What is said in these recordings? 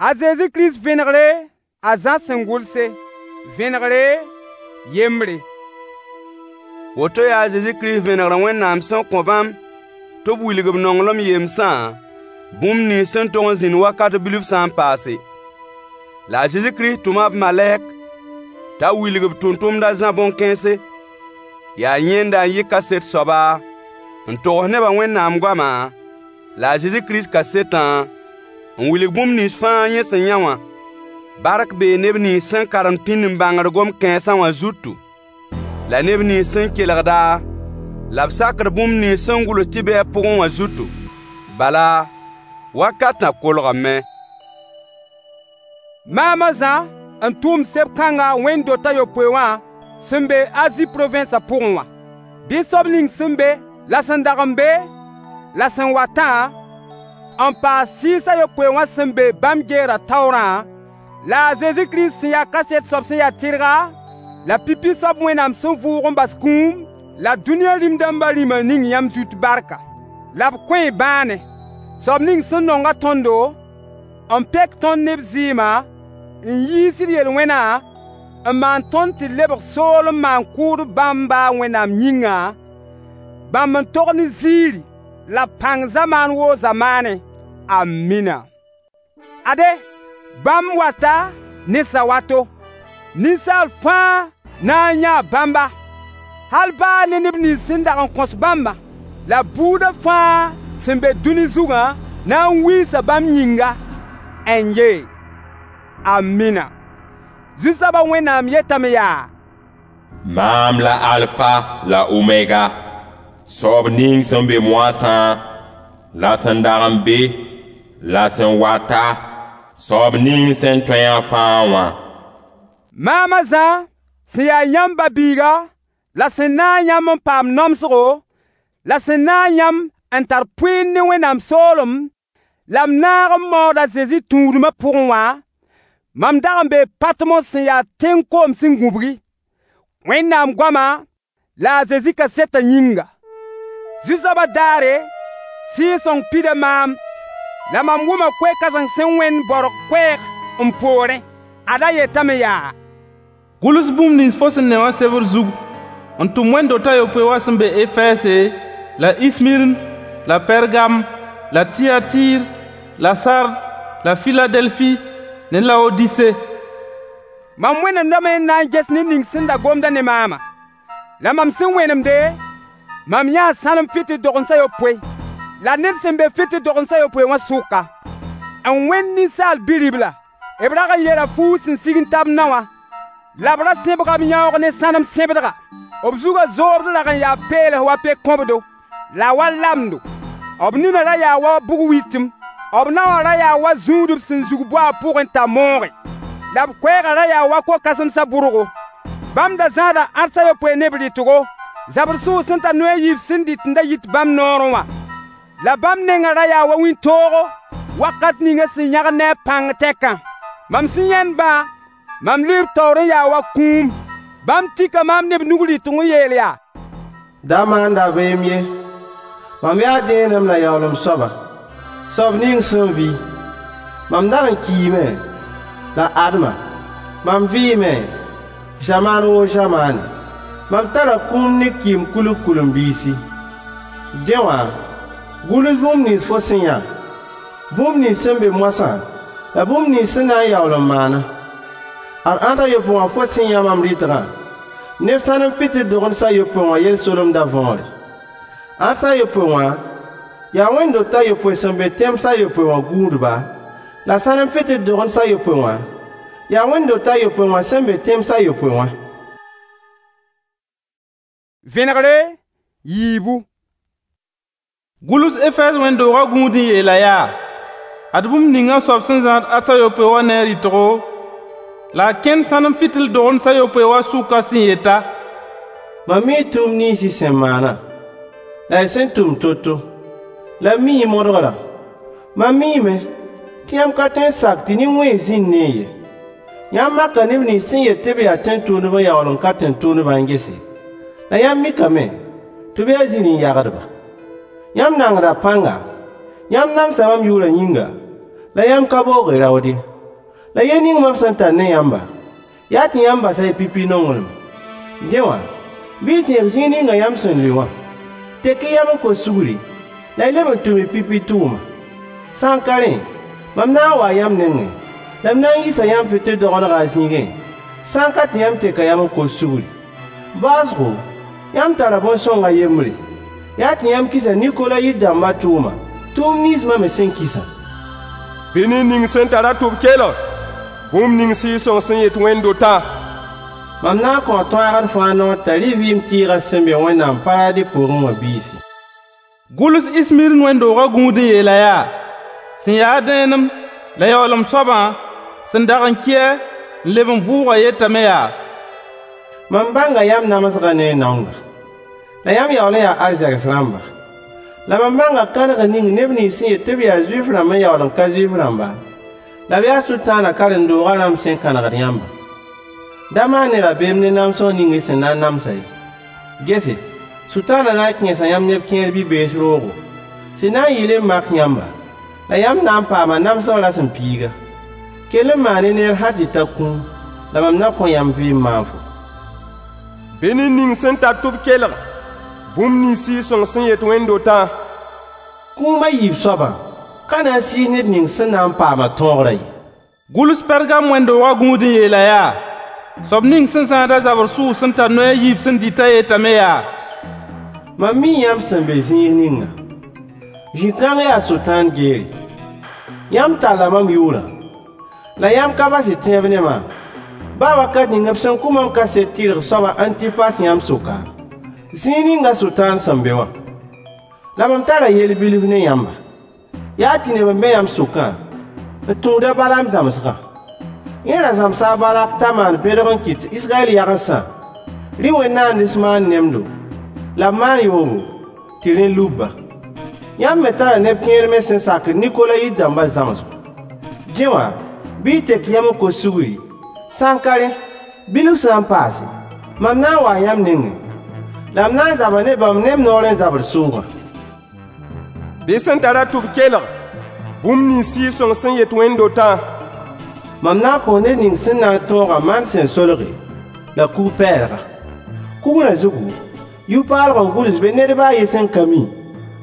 A Zezi Kirist vẽnegre a Zã sẽn gʋlse. Vẽnegre yembre. Woto yaa a Zezi Kirist vẽnegrã Wẽnnaam sẽn kõ bãmb tɩ b wilg b nonglem yemsã, bũmb nins sẽn tog n zĩnd wakat bilf sã n paase. La a Zezi Kirist tʋma b malɛk t'a wilg b tʋmtʋmd a Zã bõn-kãense. Yaa yẽnda n yɩ kaset soaba n togs nebã Wẽnnaam goama la a Zezi Kirist kasetã n wilg bũmb nins fãa yẽ sẽn yã wã. Bark bee neb nins sẽn karemd pĩnd-n-bãngd gom-kãensã wã zutu, la neb nins sẽn kelgd-a la b sakd bũmb nins sẽn gʋls tɩ be a pʋgẽ wã zutu. Bala, wakatã kolgame. Maam a Zã n tʋʋm seb-kãnga wẽnd-dot a yopoe wã sẽn be Azi provẽnsã pʋgẽ wã. Bɩ soab ning sẽn be, la sẽn dag n be, la sẽn watã, n paas sɩɩs a yopoe wã sẽn be bãmb geerã taoorã, la a Zezi Kirist sẽn ya kaset soab sẽn ya tɩrga, la pipi soab Wẽnnaam sẽn vʋʋg n bas kũum, la dũniyã rĩm-dãmbã rĩmã ning yãmb zut barka. La b kõ-y bãane. Soab ning sẽn nong-a tõndo, n pek tõnd ne b zɩɩmã, n yiis d yel-wẽnã, n maan tõnd tɩ lebg soolem maan-kʋʋdb bãmb ba a Wẽnnaam yĩnga, bãmb n tog ne ziiri la pãng zamaan woo zamaanẽ. Amina. Ade, bãmb wata ne sawato. Ninsaal fãa na n yãa bãmba, hal baa ne neb nins sẽn dag n kõs bãmbã, la buudã fãa sẽn be dũni zugã na n wiisa bãmb yĩnga. N-ye. Amina. Zu-soabã Wẽnnaam yetame yaa: Maam la Alfa la Omega, soab ning sẽn be moasã, la sẽn dag n be, la sẽn wata, soab ning sẽn tõe a fãa wã. Maam a Zã sẽn yaa yãmb ba-biiga la sẽn naag yãmb n paam namsgo, la sẽn naag yãmb n tar pʋɩɩr ne Wẽnnaam soolem, la m naag n maood a Zezi tũudmã pʋgẽ wã, mam dag n bee Patmos sẽn yaa tẽng koom sẽn gũbgi, Wẽnnaam goama la a Zezi kasetã yĩnga. Zu-soabã daare, Sɩɩg-sõng pida maam, la mam wʋma koe-kãseng sẽn wẽnd baorg koɛɛg m poorẽ. Ad-a yetame yaa: Gʋls bũmb nins fo sẽn ne wã sebr zug n tʋm wẽnd-dot a yopoe wã sẽn be Efɛɛse, la Ismirn, la Pɛrgam, la Tiyatɩɩr, la Sard, la Filadelfi ne Laodise. Mam wẽnemdame n na n ges ned ning sẽn da gomda ne maamã. La mam sẽn wẽnemde, mam yãa sãnem fɩtɩl dogens a yopoe, la ned sẽn be fɩtɩl dogens a yopoe wã sʋka, n wẽnd ninsaal bi-ribla. B rag n yera fuug sẽn sig n ta b nao wã, la b ra sẽbga b yãoog ne sãnem sẽbdga. B zugã zoobd rag n yaa peels wa pe-kõbdo, la wa lamdo. B ninã ra yaa wa bug-wɩtem. B naowã ra yaa wa zũudb sẽn zug boaag pʋgẽ t'a mooge. La b koɛɛgã ra yaa wa ko-kãsemsã bʋrgo. Bãmb da zãada ãdens a yopoe ne b rɩtgo, zabr sʋʋg sẽn tar noy a yiib sẽn dɩt n da yit bãmb noorẽ wã. La bãmb nengã ra yaa wa wĩntoogo wakat ninga sẽn yãgd ne a pãng tɛkã. Mam sẽn yãend-bã, mam lʋɩ b taoor n yaa wa kũum. Bãmb tika maam ne b nug rɩtg n yeel yaa: Da maan dabeem ye. Mam yaa dẽenem la yaoolem soaba, soab ning sẽn vɩ. Mam dag n kiime, la adma, mam vɩɩme, zamaan woo zamaane. Mam tara kũum ne kɩɩm kulg kʋlem-biisi. Dẽ wã, gʋls bũmb nins fo sẽn yã, bũmb nins sẽn be moasã, la bũmb nins sẽn na n yaool n maana. Ad ãds a yopoe wã fo sẽn yã mam rɩtgã, ne sãnem fɩtɩl dogens a yopoe wã yel-solemdã võore. Ãds a yopoe wã yaa wẽnd-dot a yopoe sẽn be tẽms a yopoe wã gũudba, la sãnem fɩtɩl dogens a yopoe wã yaa wẽnd-dot a yopoe wã sẽn be tẽms a yopoe wã. Vẽnegre yiibu. Gʋls Efɛɛs wẽnd-doogã gũud n yeela yaa: Ad bũmb ninga soab sẽn zãad ãds a yopoe wã ne a rɩtgo, la a kẽnd sãnem fɩtɩl dogens a yopoe wã sʋka sẽn yeta: Mam mii tʋʋm nins y sẽn maana, la y sẽn tʋm to-to, la m mii y modgrã. Mam miime tɩ yãmb ka tõe n sak tɩ nin-wẽns zĩnd ne-y ye. Yãmb maka neb nins sẽn yet tɩ b yaa tẽn-tʋʋmdb n yaool n ka tẽn-tʋʋmdbã n gese, la yãmb mikame tɩ b yaa zĩri-n-yagdba. Yãmb nangda pãnga, yãmb namsa mam yʋʋrã yĩnga, la yãmb ka boog y raood ye. La yell ning mam sẽn tar ne yãmba, yaa tɩ yãmb basa y pipi nonglem. Dẽ wã, bɩ y tẽeg zĩig ninga yãmb sẽn lʋɩ wã. Tek-y yam n kos sugri, la y leb n tʋm y pipi tʋʋma. Sã n ka rẽ, mam na n waa yãmb nengẽ, la m na n yisa yãmb fɩtɩl-dogendgã a zĩigẽ, sã n ka tɩ yãmb teka yam n kos sugri. Baoosgo, yãmb tara bõn-sõng a yembre, yaa tɩ yãmb kisa Nikolayit dãmbã tʋʋma, tʋʋmd nins mam me sẽn kisã. Bɩ ned ning sẽn tar-a tʋb-kelg bũmb ning Sɩɩg-sõng sẽn yet wẽnd-dotã: Mam na n kõo tõagd fãa noor t'a rɩ vɩɩm tɩɩgã sẽn be Wẽnnaam paradi pʋgẽ wã biisi. Gʋls Ismirn wẽnd-doogã gũud n yeel-a yaa: Sẽn ya-a dẽenem la yaoolem soabã sẽn dag n kɩɛ n leb n vʋʋgã yetame yaa: Mam bãnga yãmb namsgã ne y naongã. La yãmb yaool n yaa arzegs rãmba. La mam bãnga kãnegr ning neb nins sẽn yet tɩ b yaa Zuif-rãmb n yaool n ka Zuif-rãmba, la b yaa Sʋtãanã karen-doogã rãmb sẽn kãnegd yãmbã. Da maan-y rabeem ne namsg ning y sẽn na n namsã ye. Gese, Sʋtãanã na n kẽesa yãmb neb kẽer bi-bees roogo, sẽn na n yɩɩl n mak yãmba, la yãmb na n paama namsg rasem piiga. Kell n maan-y neer hal tɩ ta kũum, la mam na kõ yãmb vɩɩm maanfo. Bɩ ned ning sẽn tar tʋb-kelg bũmb nins Sɩɩg-sõng sẽn yet wẽnd-dotã: Kũum a yiib soabã ka na n sɩɩs ned ning sẽn na n paama tõogrã ye. Gʋls Pɛrgam wẽnd-doogã gũud n yeel-a yaa: Soab ning sẽn zãad-a zabr sʋʋg sẽn tar noy a yiib sẽn dɩtã yetame yaa: Mam mii yãmb sẽn be zĩig ninga. Zĩ-kãng yaa Sʋtãan geere. Yãmb talla mam yʋʋrã, la yãmb ka bas y tẽeb ne maam, baa wakat ning b sẽn kʋ mam kaset tɩrg soab a Antipas yãmb sʋka, zĩig ninga Sʋtãan sẽn be wã. La mam tara yell bilf ne yãmba. Yaa tɩ neb n be yãmb sʋkã n tũud a Balaam zãmsgã. Yẽ ra zãmsa a Balak t'a maan bẽdg n kɩt Israyɛl yagensã rɩ wẽn-naands maan nemdo, la b maan yoobo, tɩ rẽ lub-ba. Yãmb me tara neb kẽer me sẽn sakd Nikolayit dãmbã zãmsgo. Dẽ wã, bɩ y tek yam n kos sugri, sã n ka rẽ, bilf sã n paase, mam na n waa yãmb nengẽ, la m na n zaba ne bãmb ne m noor n zabr sʋʋgã. Bɩ sẽn tar-a tʋb-kelg bũmb nins Sɩɩg-sõng sẽn yet wẽnd-dotã: Mam na n kõo ned ning sẽn na n tõogã maan sẽn solge, la kug-pɛɛlga. Kugrã zugu, yʋ-paalg n gʋls be ned ba a yen sẽn ka mi,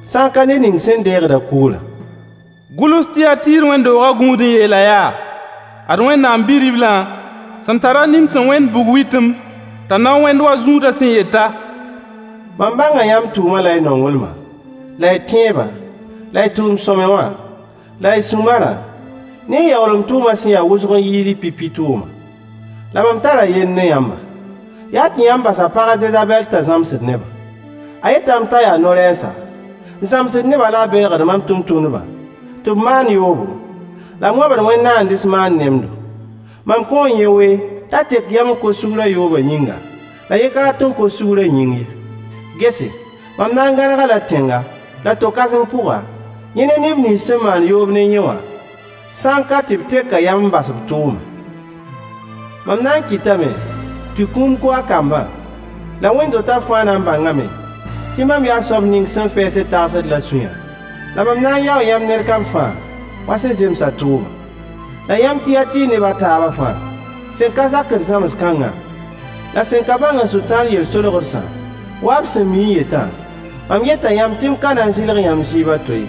sã n ka ned ning sẽn deegd-a kugrã. Gʋls Tiyatiir wẽnd-doogã gũud n yeel-a yaa: Ad Wẽnnaam Bi-riblã sẽn tar-a nin sẽn wẽnd bug-wɩtem t'a na wẽnd wa zũudã sẽn yeta: Mam bãnga yãmb tʋʋma la y nonglmã, la y tẽebã, la y tʋʋm-sõamy wã, la y sũ-marã, ne y yaoolem tʋʋmã sẽn ya wʋsg n yɩɩd y pipi tʋʋma. La mam tara yell ne yãmba. Yaa tɩ yãmb basa pag a Zezabɛl t'a zãmsd nebã. A yetame t'a yaa no-rɛɛsa, n zãmsd nebã la a belgd mam tʋmtʋmdbã tɩ b maan yoobo, la b wãbd wẽn-naands maan nemdo. Mam kõo yẽ wee t'a tek yam n kos sugrã yoobã yĩnga, la yẽ ka rat n kos sugrã yĩng ye. Gese, mam na n gãneg-a la tẽnga, la to-kãseng pʋga, yẽ ne neb nins sẽn maan yoob ne yẽ wã, sã n ka tɩ b teka yam n bas b tʋʋma. Mam na n kɩtame tɩ kũum kʋ a kambã, la wẽnd-dotã fãa na n bãngame tɩ mam yaa soab ning sẽn fɛɛsd tagsd la sũyã, la mam na n yao yãmb ned kam fãa wa sẽn zems a tʋʋma. La yãmb Tiyatiir neb a taabã fãa, sẽn ka zakd zãms-kãngã, la sẽn ka bãng Sʋtãan yel-solgdsã, wa b sẽn mi n yetã, mam yeta yãmb tɩ m ka na n zɩlg yãmb zɩɩb a to ye.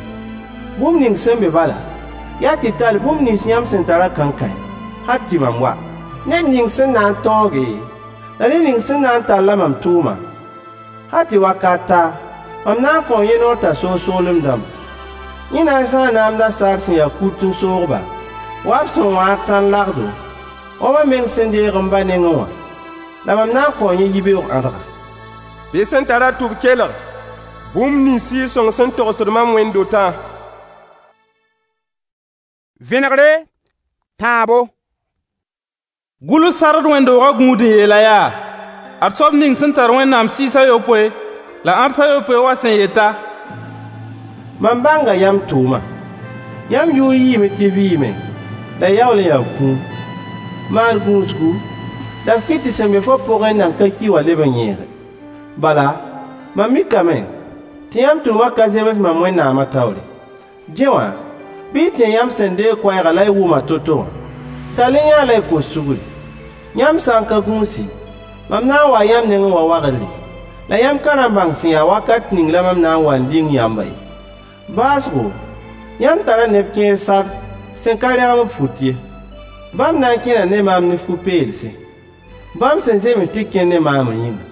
Bũmb ning sẽn be bala, yaa tɩ tall bũmb nins yãmb sẽn tarã kankãe, hal tɩ mam wa. Ned ning sẽn na n tõoge, la ned ning sẽn na n talla mam tʋʋma, hal tɩ wakat ta, mam na n kõo yẽ noor t'a soog soolem dãmba. Yẽ na n zãa naamda saar sẽn ya kut n soog-ba, wa b sẽn wãad tãn-lagdo, wa mam meng sẽn deeg m ba nengẽ wã, la mam na n kõo yẽ yibeoog ãdga. Bɩ sẽn tar-a tʋb-kelg bũmb nins Sɩɩg-sõng sẽn togsd mam wẽnd-dotã: Vẽnegre, tãabo. Gʋls Sard wẽnd-doogã gũud n yeel-a yaa: Ad soab ning sẽn tar Wẽnnaam sɩɩs a yopoe la ãds a yopoe wã sẽn yeta: Mam bãnga yãmb tʋʋma. Yãmb yʋʋr yiime tɩ vɩɩme, la y yaool n yaa kũum. Maan gũusgu, la f kɩt tɩ sẽn be fo pʋgẽ n nan ka ki wã leb n yẽege. Bala, mam mikame tɩ yãmb tʋʋmã ka zems mam Wẽnnaamã taoore. Dẽ wã, bɩ y tẽ yãmb sẽn deeg koɛɛgã la y wʋm-a to-to wã. Tall-y yã la y kos sugri. Yãmb sã n ka gũusi, mam na n waa yãmb nengẽ wa wagdre, la yãmb ka na n bãng sẽn ya wakat ning la mam na n wa n ling yãmbã ye. Baoosgo, yãmb tara neb kẽer Sard sẽn ka rẽgem b fut ye. Bãmb na n kẽna ne maam ne fu-peelse, bãmb sẽn zems tɩ kẽnd ne maamã yĩnga.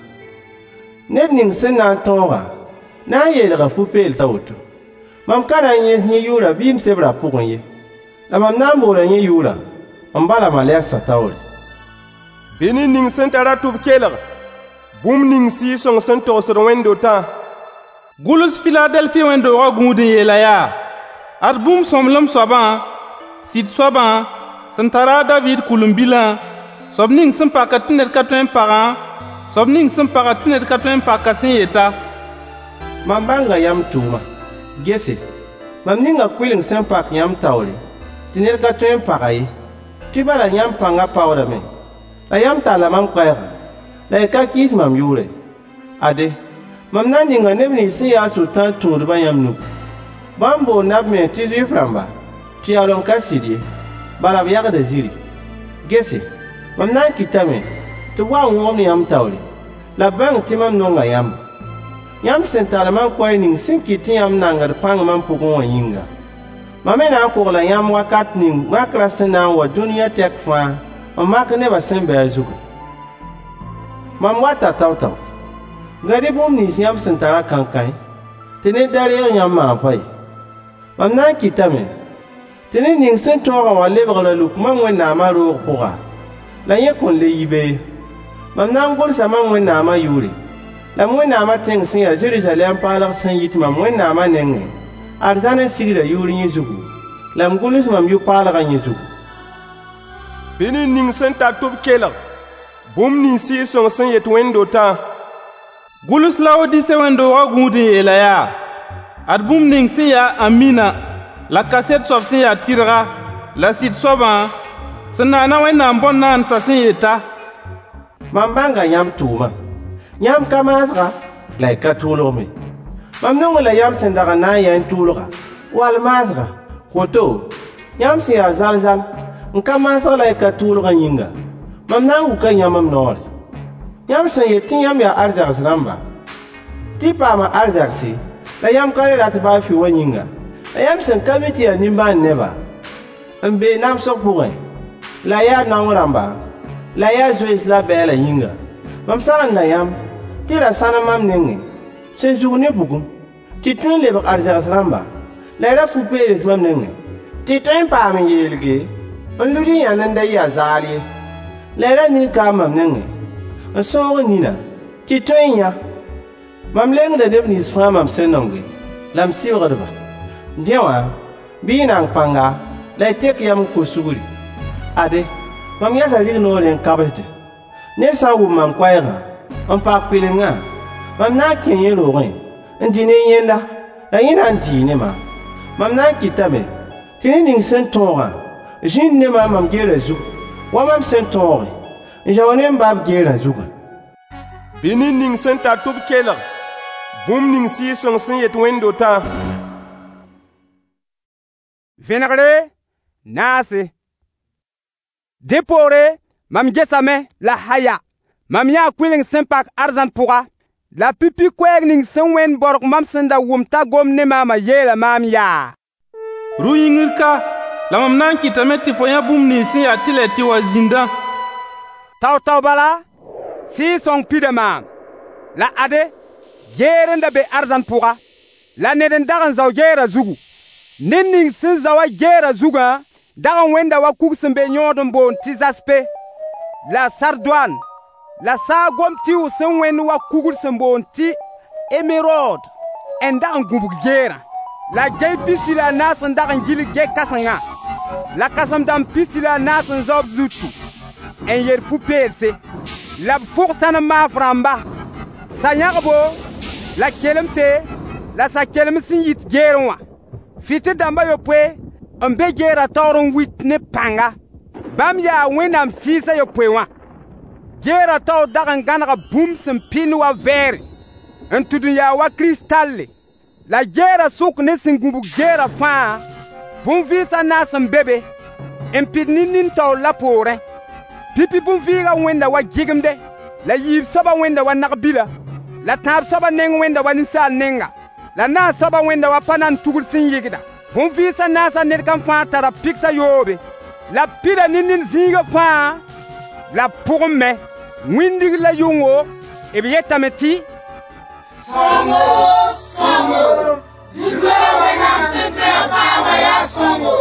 Ned ning sẽn na n tõogã na n yeelga fu-peels a woto. Mam ka na n yẽes yẽ yʋʋrã bɩ m sebrã pʋgẽ ye, la mam na n boola yẽ yʋʋrã m ba la malegsã taoore. Bɩ ned ning sẽn tar-a tʋb kelg bũmb ning Sɩɩg-sõng sẽn togsd wẽnd-dotã. Gʋls Filadelfi wẽnd-doogã gũud n yeel-a yaa: Ad bũmb sõmblem soabã, sɩd soabã, sẽn tar a Daviid kʋlem-bilã, soab ning sẽn pakd tɩ ned ka tõe n pagã, soab ning sẽn pagd tɩ ned ka tõe n pak-a sẽn yeta: Mam bãnga yãmb tʋʋma. Gese, mam ninga kʋɩleng sẽn pak yãmb taoore, tɩ ned ka tõe n pag-a ye, tɩ bala yãmb pãngã paoodame, la yãmb talla mam koɛɛgã, la y ka kɩɩs mam yʋʋrã ye. Ade, mam na n ninga neb nins sẽn ya a Sʋtãan tũudbã yãmb nugu. Bãmb boonda b mens tɩ Zuif-rãmba, tɩ yaool n ka sɩd ye, bala b yagda zĩri. Gese, mam na n kɩtame tɩ b wa n wõgemd yãmb taoore, la b bãng tɩ mam nonga yãmba. Yãmb sẽn tall mam koɛɛg ning sẽn kɩt tɩ yãmb nangd pãng mam pʋgẽ wã yĩnga, mam me na n kogla yãmb wakat ning makrã sẽn na n wa dũniyã tɛk fãa n mak nebã sẽn be a zugã. Mam wata tao-tao. Gãd-y bũmb nins yãmb sẽn tarã kãnkãe, tɩ ned da reeg yãmb maam-fa ye. Mam na n kɩtame tɩ ned ning sẽn tõogã wã lebg ra-luk mam Wẽnnaamã roog pʋga, la yẽ kõn le yi be ye. Mam na n gʋlsa mam Wẽnnaamã yʋʋre, la m Wẽnnaamã tẽng sẽn ya Zeruzalɛm paalg sẽn yit mam Wẽnnaamã nengẽ, arzãn n sigdã yʋʋr yẽ zugu, la m gʋls mam yʋ-paalgã yẽ zugu. Bɩ ned ning sẽn tar tʋb kelg bũmb ning Sɩɩg-sõng sẽn yet wẽnd-dotã. Gʋls Laodise wẽnd-doogã gũud n yeel-a yaa: Ad bũmb ning sẽn ya Amina, la kaset soab sẽn ya tɩrga, la sɩd soabã, sẽn naana Wẽnnaam bõn-naandsã sẽn yeta: Mam bãnga yãmb tʋʋma. Yãmb ka maasga, la y ka tʋʋlg me. Mam nongẽ la yãmb sẽn dag n na n yɛɛ n tʋʋlga, wall maasga. Woto, yãmb sẽn ya zal-zal, n ka maasg la y ka tʋʋlgã yĩnga, mam na n wuka yãmb m noore. Yãmb sẽn yet tɩ yãmb yaa arzegs rãmba, tɩ y paama arzegse, la yãmb ka le rat baa fɩ wã yĩnga, la yãmb sẽn ka mi tɩ yaa nimbãan neba, n be namsg pʋgẽ, la yaa naong rãmba, la yaa zoeens la bɛɛlã yĩnga, mam sagenda yãmb tɩ ra sãnem mam nengẽ, sẽn zug ne bugum, tɩ y tõe n lebg arzegs rãmba, la y ra fu-peels mam nengẽ, tɩ y tõe n paam n yeelge, n lud y yãnd n da yɩ a zaal ye. La y ra ning kaam mam nengẽ, n sõog nina, tɩ y tõe n yã. Mam lengda neb nins fãa mam sẽn nonge, la m sɩbgd-ba. Dẽ wã, bɩ y nang pãnga, la y tek yam n kos sugri. Ade, mam yasa rignoorẽ n kabsdẽ. Ned sã n wʋm mam koɛɛgã, n pak kʋɩlengã, mam na n kẽe yẽ roogẽ, n dĩ ne yẽnda, la yẽ na n dii ne maam. Mam na n kɩtame tɩ ned ning sẽn tõogã zĩnd ne maam mam geerã zug, wa mam sẽn tõoge, n zao ne m ba b geerã zugã. Bɩ ned ning sẽn tar tʋb kelg bũmb ning Sɩɩg-sõng sẽn yet wẽnd-dotã. Vẽnegre naase. Dẽ poore mam gesame la haya. Mam yãa kʋɩleng sẽn pak arzãn pʋga, la pipi koɛɛg ning sẽn wẽnd borg mam sẽn da wʋm t'a gom ne maamã yeela maam yaa: Rũ-yĩngr ka, la mam na n kɩtame tɩ fo yã bũmb nins sẽn ya tɩlɛ tɩ wa zĩndã. Tao-tao bala, Sɩɩg-sõng pida maam. La ade, geer n da be arzãn pʋga, la ned n dag n zao geerã zugu. Ned ning sẽn zao-a geerã zugã dag n wẽnda wa kug sẽn be yõod n boond tɩ zaspe, la sardoan, la saagom tɩʋg sẽn wẽnd wa kugr sẽn boond tɩ emerod n dag n gũbg geerã. La gey 14 n dag n gilg ge-kãsengã, la kãsem-dãmb 14 n zao b zutu n yer fu-peelse, la b fʋg sãnem maaf rãmba, sa-yãgbo la kelemse la sa-kelems sẽn yit geerẽ wã. Fɩtɩl dãmb a yopoe n be geerã taoor n wit ne pãnga. Bãmb yaa Wẽnnaam Sɩɩs a yopoe wã. Geerã taoor dag n gãnega bũmb sẽn pɩnd wa vɛɛre, n tʋd n yaa wa kristalle. La geerã sʋk ne sẽn gũbg geerã fãa, bũn-vɩɩs a naas n be be, n pid ne nin taoor la poorẽ. Pipi bõn-vɩɩgã wẽnda wa gɩgemde, la yiib soabã wẽnda wa nag-bila, la tãab soabã neng wẽnda wa ninsaal nenga, la naas soabã wẽnda wa pa-nan tugr sẽn yɩgda. Bõn-vɩɩs a naasã ned kam fãa tara pigs a yoobe, la b pida ne nin zĩiga fãa la b pʋgẽ me, wĩndg la yʋngo, b yetame tɩ: Sõngo, sõngo, Zu-soab Wẽnnaam sẽn tõe a fãa wã yaa sõngo,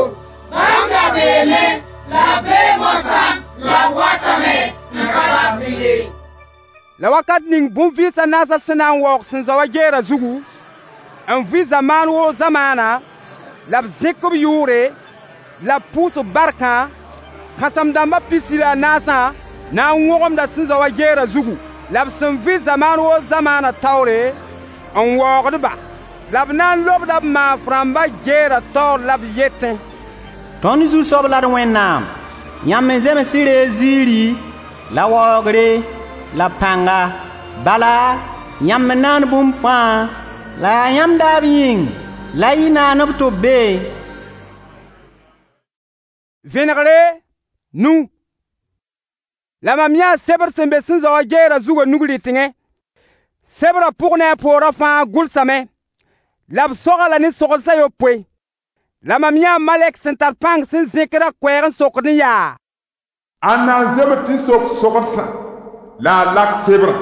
bãmb da beeme, la b bee moasã, la b watame n ka basd ye. La wakat ning bõn-vɩɩs a naasã sẽn na n waoog sẽn zao wã geerã zugu, n vɩ zamaan woo zamaana, la b zẽk b yʋʋre, la b pʋʋs b barkã, kãsem-dãmbã pisi la a naasã na n wõgemda sẽn zao wã geerã zugu, la b sẽn vɩ zamaan woo zamaana taoore n waoogd-ba. La b na n lobda b maaf rãmbã geerã taoor la b yetẽ: Tõnd Zu-soab la d Wẽnnaam, yãmb n zems sɩ reeg ziiri la waoogre la pãnga. Bala, yãmb n naan bũmb fãa, la yaa yãmb daab yĩng la y naan-b tɩ b be. Vẽnegre nu. La mam yãa sebr sẽn be sẽn zao wã geerã zugã nug-rɩtengẽ. Sebrã pʋg ne a poorã fãa gʋlsame, la b soga-la ne sogsã yopoe. La mam yãa malɛk sẽn tar pãng sẽn zẽkd a koɛɛg n sokd n yaa: Ãnna n zems tɩ sok sogsã la a lak sebrã?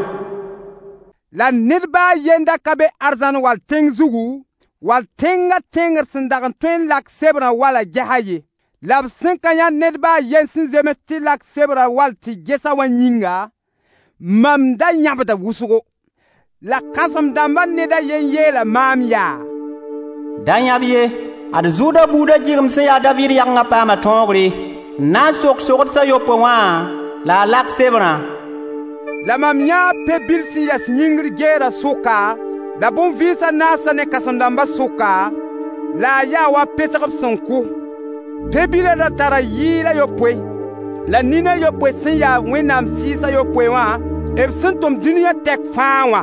La ned baa a yenda ka be arzãn wall tẽng zugu, wall tẽngã tẽngr sẽn dag n tõe n lak sebrã wala gesa ye. La b sẽn ka yã ned baa a yen sẽn zems tɩ lak sebrã wall tɩ ges-a wã yĩnga, mam da yãbda wʋsgo. La kãsem-dãmbã ned a yen yeela maam yaa: Da yãb ye, ad Zʋʋda buudã gɩgem sẽn ya a Daviid yagengã paama tõogre, n na n sok sogds a yopoe wã la a lak sebrã. La mam yãa pe-bil sẽn yɛs yĩngr geerã sʋka, la bõn-vɩɩs a naasã ne kãsem-dãmbã sʋka, la a yaa wa pesg b sẽn kʋ. Pe-bilã da tara yɩɩl a yopoe, la nin a yopoe sẽn yaa Wẽnnaam Sɩɩs a yopoe wã, b sẽn tʋm dũniyã tɛk fãa wã.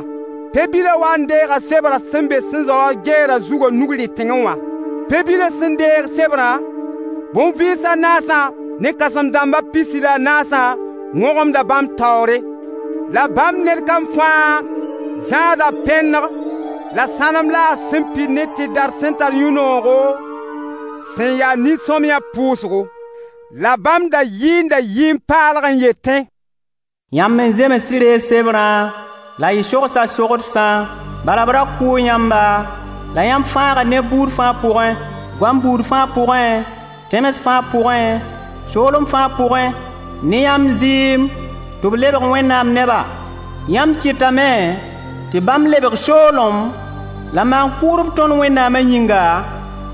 Pe-bilã wa n deega sebrã sẽn be sẽn zao wã geerã zugã nug-rɩtengẽ wã. Pe-bilã sẽn deeg sebrã, bõn-vɩɩs a naasã ne kãsem-dãmbã pisi la a naasã wõgemda bãmb taoore. La bãmb ned kam fãa zãada pẽneg la sãnem la a sẽn pid ne tɩdar sẽn tar yũ-noogo sẽn yaa nin-sõmyã pʋʋsgo. La bãmb da yɩɩnda yɩɩm-paalg n yetẽ: Yãmb n zems tɩ reeg sebrã la y sogsa sogdsã, bala b ra kʋʋ yãmba, la yãmb fãaga neb buud fãa pʋgẽ, goam buud fãa pʋgẽ, tẽms fãa pʋgẽ, soolem fãa pʋgẽ, ne yãmb zɩɩm tɩ b lebg Wẽnnaam neba. Yãmb kɩtame tɩ bãmb lebg soolem la maan-kʋʋdb tõnd Wẽnnaamã yĩnga,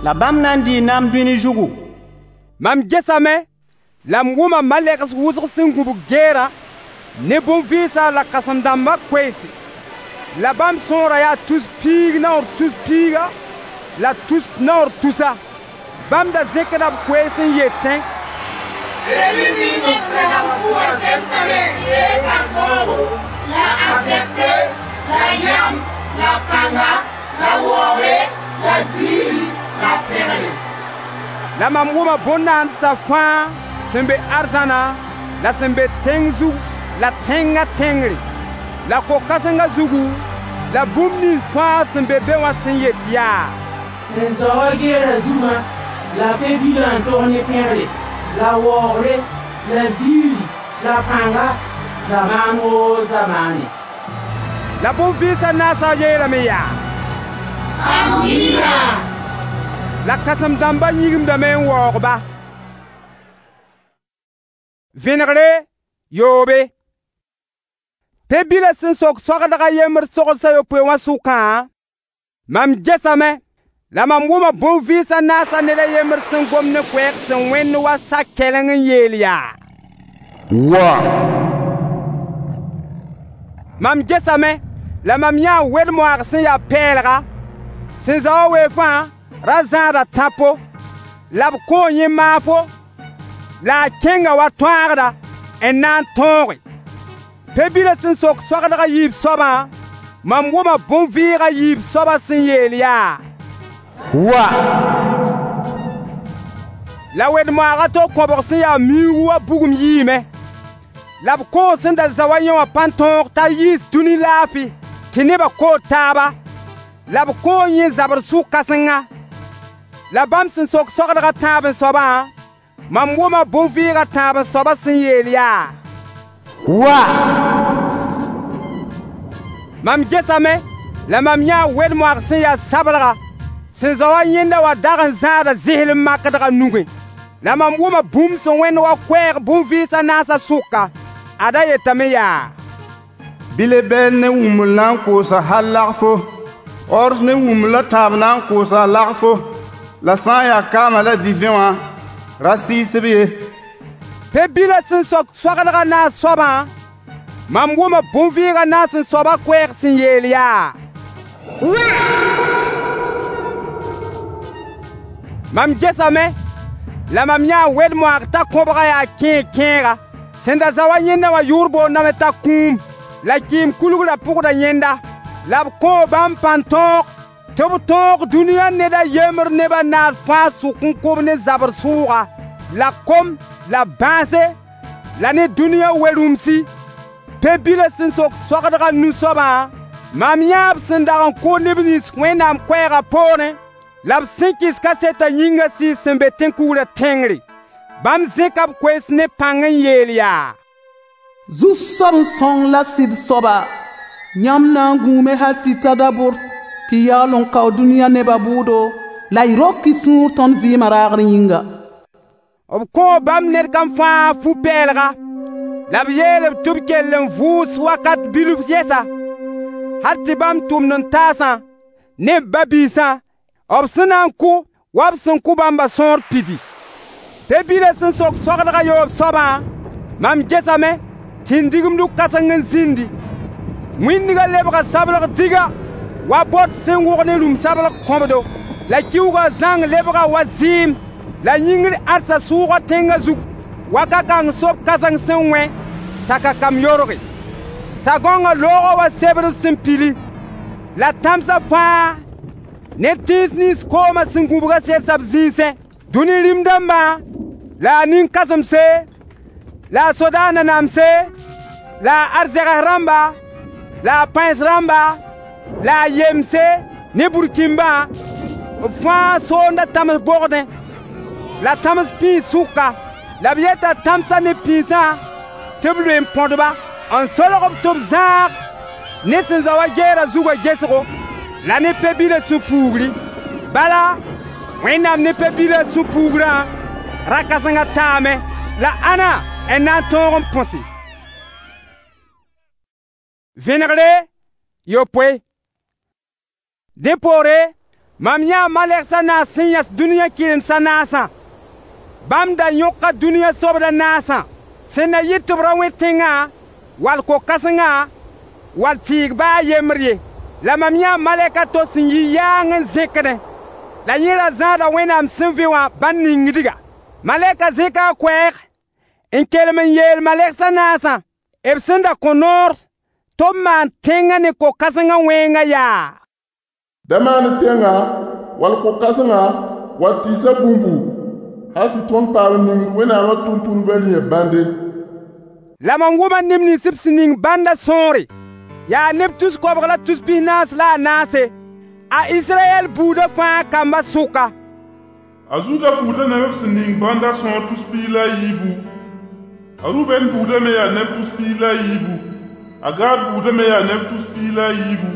la bãmb na n dɩɩ naam dũni zugu. Mam gesame la m wʋma malɛgs wʋsg sẽn gũbg geerã ne bõn-vɩɩsã la kãsem-dãmbã koeese. La bãmb sõorã yaa tus piig naoor tus piiga la tus naoor tusa. Bãmb da zẽkda b koees n yetẽ: Pe-bil ning b sẽn dag n pʋgã zemsame tɩ reeg ãntoogo, la ãzẽgse, la yãm, la pãnga, la waoogre, la ziiri, la pẽgre. La mam wʋma bõn-naandsã fãa sẽn be arzãna la sẽn be tẽng zug la tẽngã tẽngre, la ko-kãsengã zugu, la bũmb nins fãa sẽn be be wã sẽn yet yaa: Sẽn zao wã geerã zugã, la pe-bilã n tog ne pẽgre, la waoogre, la ziiri, la pãnga, zamaan woo zamaane. La bõn-vɩɩsã naasã yeelame yaa: Amiina. La kãsem-dãmbã yĩgimdame n waoog-ba. Vẽnegre yoobe. Pe-bilã sẽn sok soagdg a yembr sogsã yopoe wã sʋkã, mam gesame la mam wʋma bõn-vɩɩsã naasã ned a yembr sẽn gom ne koɛɛg sẽn wẽnd wa sa-kɛleng n yeel yaa: Wa! Mam gesame la mam yãa wed-moaag sẽn yaa pɛɛlga, sẽn zao wã weefã ra zãada tãpo, la b kõo yẽ maafo, la a kẽnga wa tõagda n na n tõoge. Pe-bilã sẽn sok soagdg a yiib soabã, mam wʋma bõn-vɩɩg a yiib soabã sẽn yeel yaa: Wa! La wed-moaag a to kõbg sẽn ya miuugu wa bugum yiime. La b kõo sẽn da zao wa yẽ wã pãn-tõog t'a yiis dũni laafi tɩ nebã kood taaba, la b kõo yẽ zabr sʋ-kãsenga. La bãmb sẽn sok soagdg a tãab n soabã, mam wʋma bõn-vɩɩg a tãab n soabã sẽn yeel yaa: Wa! Mam gesame la mam yãa wed-moaag sẽn ya sablga, sẽn zao wa yẽnda wã dag n zãada zẽslem makdg a nugẽ. La mam wʋma bũmb sẽn wẽnd wa koɛɛg bõn-vɩɩs a naasã sʋka. Ad-a yetame yaa: Bɩ lebɛɛl ne wũmbl na n koosa hal lagfo, ors ne wũmbl a tãab na n koosa lagfo, la sã n ya kaamã la divẽ wã, ra sɩɩs-b ye. Pe-bilã sẽn sok soagdg a naas soabã, mam wʋma bõn-vɩɩg a naas n soabã koɛɛg sẽn yeel yaa: Wa! Mam gesame la mam yãa wed-moaag t'a kõbga yaa kẽeg-kẽega. Sẽn da zao wa yẽnda wã yʋʋr boondame t'a Kũum, la kɩɩm kulgrã pʋgda yẽnda. La b kõo bãmb pãn-tõog tɩ b tõog dũniyã ned a yembr neb a naas fãa sʋk n kõ-b ne zabr sʋʋga, la kom la bãase la ne dũniyã we-rũmsi. Pe-bilã sẽn sok soagdg a nu soabã, mam yãa b sẽn dag n kʋ neb nins Wẽnnaam koɛɛgã poorẽ, la b sẽn kɩs kasetã yĩngã sɩɩs sẽn be tẽn-kugrã tẽngre. Bãmb zẽka b koees ne pãng n yeel yaa: Zu-soab sõng la sɩd soaba, yãmb na n gũume hal tɩ ta dabʋr tɩ y yaool n kao dũniyã nebã bʋʋdo la y rok y sũur tõnd vɩɩmã raagr yĩnga. B kõo bãmb ned kam fãa fu-pɛɛlga, la b yeel-b tɩ b kell n vʋʋs wakat bilf yɛsa, hal tɩ bãmb tʋmd-n-taasã ne b ba-biisã, b sẽn na n kʋ wa b sẽn kʋ bãmbã sõor pidi. Pe-bilã sẽn sok soagdg a yoob soabã, mam gesame tɩ n digimdu kãseng n zĩndi. Wĩndgã lebga sablg diga wa bot sẽn wʋg ne rũm-sablg kõbdo. La kiuugã zãng lebga wa zɩɩm, la yĩngr ãdsa sʋʋga tẽngã zug wa ka-kãng sob kãseng sẽn wẽ t'a kakam yorge. Sagoongã loogã wa sebr sẽn pili, la tãmsã fãa ne tẽns nins koomã sẽn gũbgã sedsa b zĩisẽ. Dũni rĩm-dãmbã la a nin-kãsemse la a sodaas nanamse la a arzegs rãmba la a pãens rãmba la a yemse ne burkĩmbã, b fãa soonda tãms bogdẽ la tãms pĩis sʋka. La b yeta tãmsã ne pĩisã tɩ b loe n põdba, n solg-b tɩ b zãag ne sẽn zao wa geerã zugã gesgo la ne pe-bilã sũ-puugri. Bala, Wẽnnaam ne pe-bilã sũ-puugrã ra-kãsengã taame, la ãnna n na n tõog n põse? Vẽnegre yopoe. Dẽ poore, mam yãa malegs a naas sẽn yãs dũniyã kɩrems a naasã. Bãmb da yõka dũniyã sobd a naasã, sẽn na yɩ tɩ b ra wẽ tẽngã, wall ko-kãsengã, wall tɩɩg ba a yembr ye. La mam yãa malɛk a to sẽn yi yaang n zẽkdẽ, la yẽ ra zãada Wẽnnaam sẽn vẽ wã bãn ningdga. Malɛka zẽka a koɛɛg n kelem n yeel malegs a naasã, b sẽn da kõ noor tɩ b maan tẽngã ne ko-kãsengã wẽngã yaa: Da maan tẽngã, wall ko-kãsengã, wall tɩɩsã bũmbu, hal tɩ tõnd paam n ningd Wẽnnaamã tʋmtʋmdbã rĩyã bãnde. La mam wʋma neb nins b sẽn ning bãndã sõore. Yaa neb tus-koabg la tus-pis-naas la a naase, a Israyɛl buudã fãa kambã sʋka. A Zuda buudã neb b sẽn ning bãndã sõor tus-piig la a yiibu, a Rubɛn buudã me yaa neb tus-piig la a yiibu, a Gad buudã me yaa neb tus-piig la a yiibu,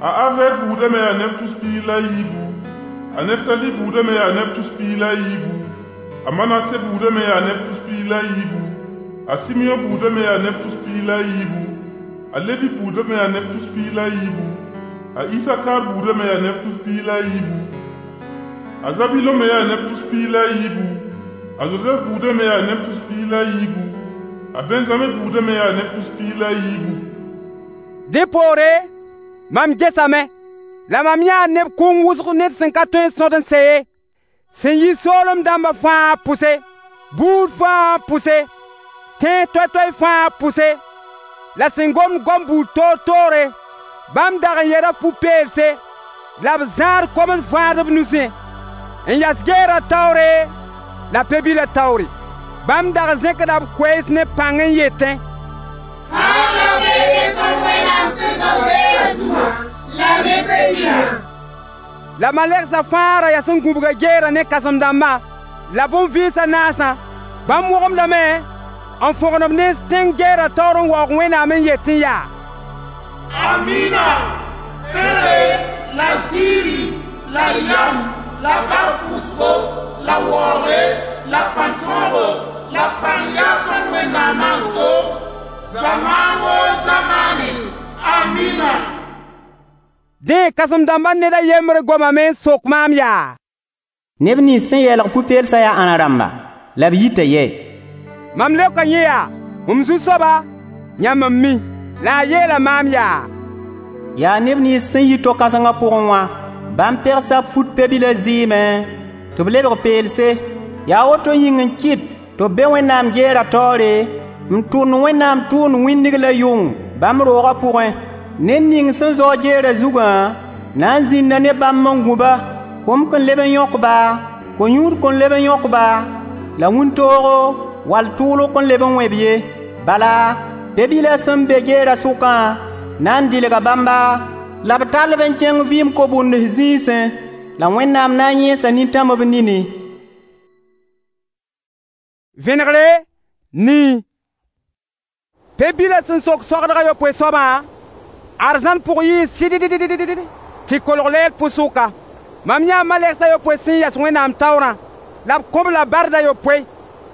a Azer buudã me yaa neb tus-piig la a yiibu, a Neftali buudã me yaa neb tus-piig la a yiibu, a Manase buudã me yaa neb tus-piig la a yiibu, a Simeõ buudã me yaa neb tus-piig la a yiibu, a Levi buudã me yaa neb tus-piig la a yiibu, a Isakar buudã me yaa neb tus-piig la a yiibu, a Zabilõ me yaa neb tus-piig la a yiibu, a Zozɛf buudã me yaa neb tus-piig la a yiibu, a Bɛnzame buudã me yaa neb tus-piig la a yiibu. Dẽ poore, mam gesame, la mam yãa neb kʋʋng wʋsg ned sẽn ka tõe n sõd n sɛ ye, sẽn yi soolem dãmbã fãa pʋse, buud fãa pʋse, tẽes toay-toay fãa pʋse, la sẽn gomd gom buud toor-toore. Bãmb dag n yɛda fu-peelse la b zãad komd fãad b nusẽ, n yas geerã taoore la Pe-bilã taoore. Bãmb dag n zẽkda b koees ne pãng n yetẽ: Fãagrã bee ne tõnd Wẽnnaam sẽn zao geerã zugã la ne Pe-bilã. La malegsã fãa ra yas n gũbga geerã ne kãsem-dãmbã la bõn-vɩɩs a naasã. Bãmb wõgemdame n fõgen b nens tẽng geerã taoor n waoog Wẽnnaam n yetẽ yaa: Amina! Pẽgre la ziiri la yam la bark pʋsgo la waoogre la pãn-tõogo la pãng yaa tõnd Wẽnnaamã n so zamaan woo zamaane. Amina! Dẽ kãsem-dãmbã ned a yembr gomame n sok maam yaa: Neb nins sẽn yɛlg fu-peelsã yaa ãnna rãmba, la b yita yɛ? Mam leoka yẽ yaa: M zu-soaba, yãmb n mi. La a yeela maam yaa: Yaa neb nins sẽn yi to-kãsengã pʋgẽ wã, bãmb pegsa b fut Pe-bilã zɩɩmẽ tɩ b lebg peelse. Yaa woto yĩng n kɩt tɩ b be Wẽnnaam geerã taoore n tʋnd Wẽnnaam tʋʋmd wĩndg la yʋng bãmb roogã pʋgẽ. Ned ning sẽn zao geerã zugã na n zĩnda ne bãmb n gũ-ba. Kom kõn leb n yõk-ba, ko-yũud kõn leb n yõk-ba, la wĩntoogo wall tʋʋlg kõn leb n wẽ-b ye. Bala, Pe-bilã sẽn be geerã sʋkã na n dɩlga bãmba, la b tall-b n kẽng vɩɩm ko-bʋnds zĩisẽ, la Wẽnnaam na n yẽesa nintãm b nini. Vẽnegre, nii. Pe-bilã sẽn sok soagdg a yopoe soabã, arzãn pʋg yɩɩ sɩddd tɩ kolg lɛɛr pʋ-sʋka. Mam yãa malegs a yopoe sẽn yas Wẽnnaam taoorã, la b kõ-b la bard a yopoe.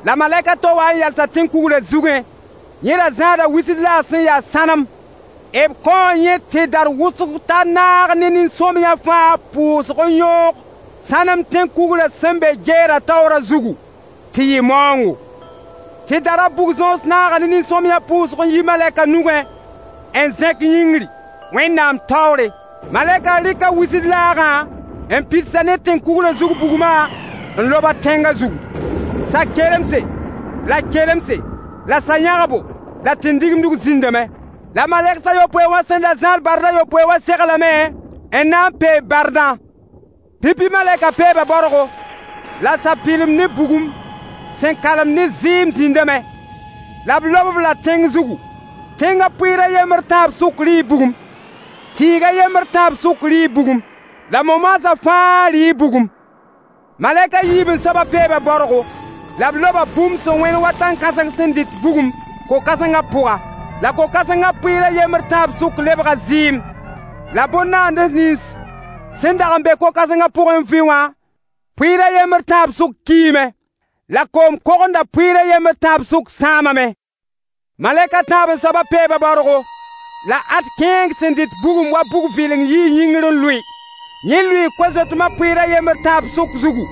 La malɛk a to wa n yalsa tẽn-kugrã zugẽ. Yẽ ra zãada wisd laag sẽn yaa sãnem. B kõo yẽ tẽdar wʋsg t'a naag ne nin-sõamyã fãa pʋʋsg n yõog sãnem tẽn-kugrã sẽn be geerã taoorã zugu, tɩ yɩ maoongo. Tẽdarã bug-zõos naaga ne nin-sõamyã pʋʋsg n yi malɛka nugẽ n zẽk yĩngri Wẽnnaam taoore. Malɛka rɩka wisd laagã n pidsa ne tẽn-kugrã zug bugmã n lob-a tẽngã zugu. Sa-kelemse la kelemse la sa-yãgbo la tẽn-digimdg zĩndame. La malegs a yopoe wã sẽn da zãad bard a yopoe wã seglame n na n peeb bardã. Pipi malɛka peeba baorgo, la sapɩlem ne bugum sẽn kalem ne zɩɩm zĩndame. La b lob-b la tẽng zugu. Tẽngã pʋɩɩr a yembr tãab sʋk rɩɩ bugum, tɩɩg a yembr tãab sʋk rɩɩ bugum, la mo-maasã fãa rɩɩ bugum. Malɛk a yiib n soabã peeba baorgo, la b loba bũmb sẽn wẽnd wa tãn-kãseng sẽn dɩt bugum ko-kãsengã pʋga. La ko-kãsengã pʋɩɩr a yembr tãab sʋk lebga zɩɩm. La bõn-naands nins sẽn dag n be ko-kãsengã pʋgẽ n vɩ wã, pʋɩɩr a yembr tãab sʋk kiime. La koom kogenda pʋɩɩr a yembr tãab sʋk sãamame. Malɛk a tãab n soabã peeba baorgo, la ad kẽeng sẽn dɩt bugum wa bug-vɩleng yii yĩngr n lʋɩ. Yẽ lʋɩɩ ko-zoetmã pʋɩɩr a yembr tãab sʋk zugu,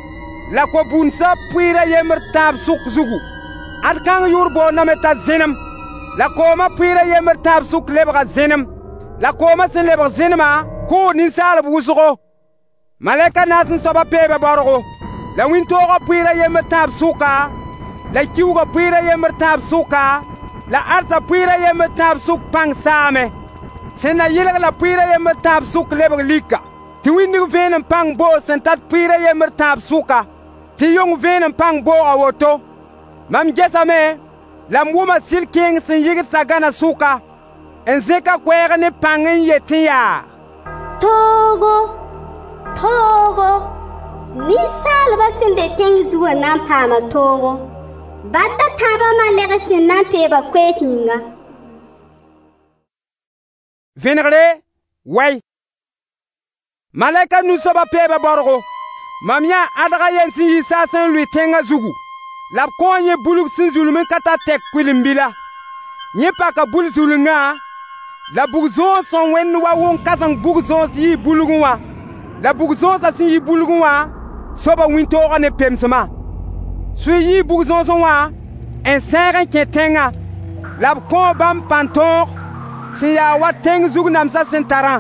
la ko-bũnsã pʋɩɩr a yembr tãab sʋk zugu. Ad kãng yʋʋr boondame t'a zẽnem. La koomã pʋɩɩr a yembr tãab sʋk lebga zẽnem. La koomã sẽn lebg zẽnemã kʋʋ ninsaalb wʋsgo. Malɛk a naas n soabã peeba baorgo, la wĩntoogã pʋɩɩr a yembr tãab sʋka, la kiuugã pʋɩɩr a yembr tãab sʋka, la ãdsã pʋɩɩr a yembr tãab sʋk pãng saame. Sẽn na yɩlg la pʋɩɩr a yembr tãab sʋk lebg lika, tɩ wĩndg vẽenem pãng boog sẽn tat pʋɩɩr a yembr tãab sʋka, tɩ yʋng vẽenem pãng booga woto. Mam gesame la m wʋma sɩl kẽeng sẽn yɩgd sagãna sʋka n zẽk a koɛɛg ne pãng n yetẽ yaa: Toogo, toogo, ninsaalbã sẽn be tẽng zugã na n paama toogo, bad a tãabã malɛgs sẽn na n peeba koees yĩnga. Vẽnegre, wɛy. Malɛk a nu soabã peeba baorgo. Mam yãa ãdg a yen sẽn yi saasẽ n lʋɩ tẽngã zugu. La b kõo yẽ bulg sẽn zulem n ka tar tɛk kʋɩlen-bila. Yẽ paka bul-zulengã, la bug-zõos sẽn wẽnd wa wʋn-kãseng bug-zõos yii bulgẽ wã. La bug-zõosã sẽn yi bulgẽ wã soaba wĩntoogã ne pemsmã. Sʋɩ yii bug-zõosẽ wã n sẽeg n kẽ tẽngã, la b kõo bãmb pãn-tõog sẽn yaa wa tẽng zug namsã sẽn tarã.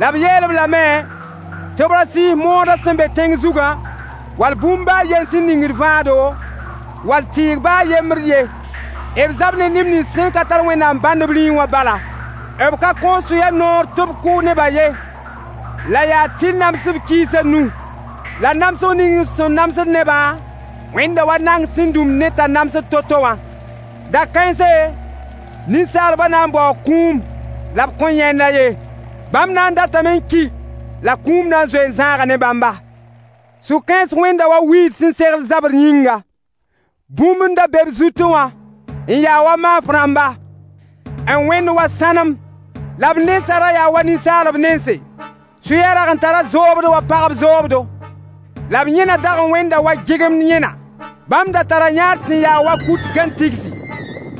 La b yeel-b lame tɩ b ra sɩɩs moodã sẽn be tẽng zugã, wall bũmb baa yen sẽn ningd vãado, wall tɩɩg baa yembr ye. B zab ne neb nins sẽn ka tar Wẽnnaam bãnd b rĩig wã bala. B ka kõ sʋya noor tɩ b kʋ nebã ye. La yaa tɩ namsb kiisã nu, la namsg ning sẽn namsd nebã Wẽnda wa nang sẽn dũm ne t'a namsd to-to wã. Da-kãense, ninsaalbã na n baoo kũum la b kõn yãend-a ye. Bãmb na n datame n ki la kũum na n zoe n zãaga ne bãmba. Sũ-kãens wẽnda wa wiid sẽn segl zabr yĩnga. Bũmb n da be b zutẽ wã n yaa wa maaf rãmba, n wẽnd wa sãnem, la b nensã ra yaa wa ninsaalb nense. Sʋyã rag n tara zoobd wa pagb zoobdo, la b yẽna dag n wẽnda wa gɩgemd yẽna. Bãmb da tara yãad sẽn yaa wa kut gãn-tigsi,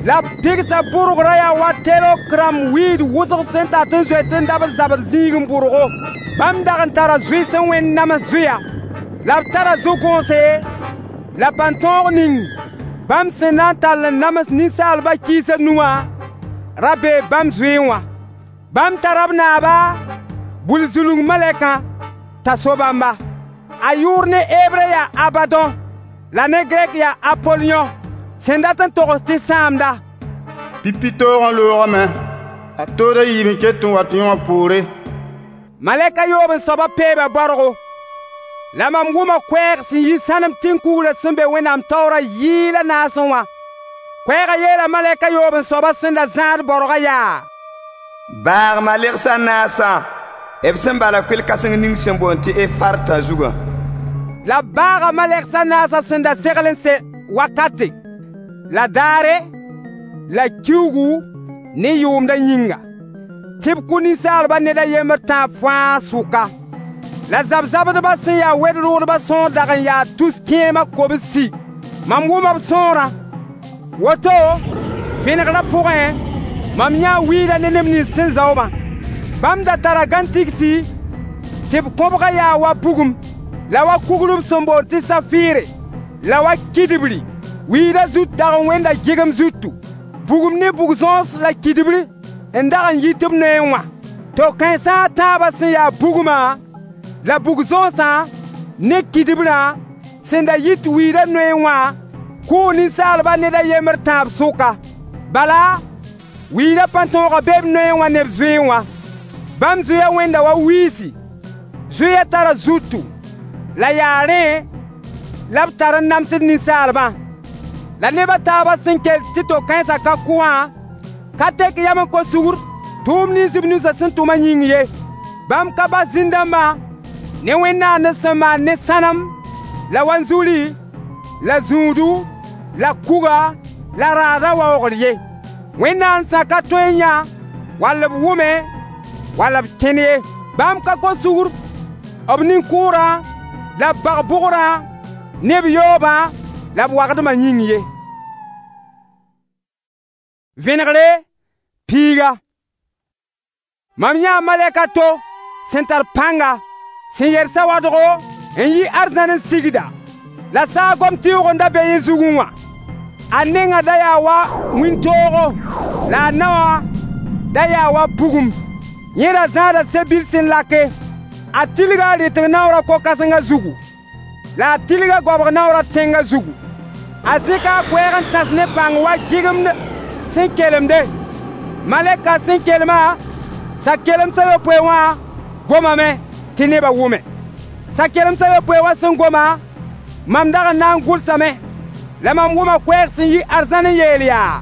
la b pɩgsa bʋrgrã yaa wa terok rãmb wiid wʋsg sẽn tat n zoet n dabd zabr zĩig n bʋrgo. Bãmb dag n tara zoe sẽn wẽnd nams zoeya, la b tara zo-gõose la pãn-tõog ning bãmb sẽn na n tall n nams ninsaalbã kiisã nu wã ra bee bãmb zoeẽ wã. Bãmb tara b naaba, bul-zulung malɛkã, t'a so bãmba. A yʋʋr ne Hebre yaa Abadõ, la ne Grɛk yaa Apolyõ, sẽn dat n togs tɩ sãamda. Pipi toogã loogame, a tood a yiib n ket n wat yõwã poore. Malɛk a yoob n soabã peeba baorgo. La mam wʋma koɛɛg sẽn yi sãnem tẽn-kugrã sẽn be Wẽnnaam taoorã yɩɩl a naasẽ wã. Koɛɛgã yeela malɛk a yoob n soabã sẽn da zãad baorgã yaa: Baag malegs a naasã, b sẽn bala kʋɩl-kãseng ning sẽn boond tɩ Efartã zugã. La b baaga malegs a naasã sẽn da segl n se wakate, la daare, la kiuugu ne yʋʋmdã yĩnga, tɩ b kʋ ninsaalbã ned a yembr tãab fãa sʋka. La zab-zabdbã sẽn ya wed-rʋʋdbã sõor dag n yaa tus kẽema kobsi. Mam wʋma b sõorã. Woto, vẽnegrã pʋgẽ, mam yãa wiidã ne neb nins sẽn zao-bã. Bãmb da tara gãn-tigsi tɩ b kõbgã yaa wa bugum, la wa kugr b sẽn boond tɩ safɩɩre, la wa kidbri. Wiidã zut dag n wẽnda gɩgem zutu. Bugum ne bug-zõos la kidbr n dag n yit b noeẽ wã. To-kãensã a tãabã sẽn yaa bugmã la bug-zõosã ne kidbrã sẽn da yit wiidã noeẽ wã kʋʋ ninsaalbã ned a yembr tãab sʋka. Bala, wiidã pãn-tõogã be b noeẽ wã ne b zoeẽ wã. Bãmb zoeã wẽnda wa wiisi. Zoeã tara zutu, la yaa rẽ la b tar n namsd ninsaalbã. La neb a taabã sẽn kell tɩ to-kãensã ka kʋ wã, ka tek yam n kos sugr tʋʋm nins b nusã sẽn tʋmã yĩng ye. Bãmb ka bas zĩn-dãmbã ne wẽnd-naandb sẽn maan ne sãnem la wanzuri la zũudu la kuga la raadã waoogr ye. Wẽnnaandsã ka tõe n yã wall b wʋme wall b kẽn ye. Bãmb ka kos sugr b nin-kʋʋrã la b bag-bʋgrã ne b yoobã la b wagdmã yĩng ye. Vẽnegre piiga. Mam yãa malɛk a to sẽn tar pãnga, sẽn yer sawadgo n yi arzãn n sigda, la saagom tɩʋʋg n da be yẽ zugẽ wã. A nengã da yaa wa wĩntoogo, la a naowã da yaa wa bugum. Yẽ ra zãada se-bil sẽn lake. A tilga a rɩtg naoorã ko-kãsengã zugu, la a tilga goabg naoorã tẽngã zugu. A zɩka a koɛɛg n tãs ne pãng wa gɩgemd sẽn kelemde. Malɛka sẽn kelmã, sa-kelemsa yopoe wã gomame tɩ nebã wʋme. Sa-kelemsa yopoe wã sẽn goma, mam dag n na n gʋlsame, la mam wʋma koɛɛg sẽn yi arzãn n yeel yaa: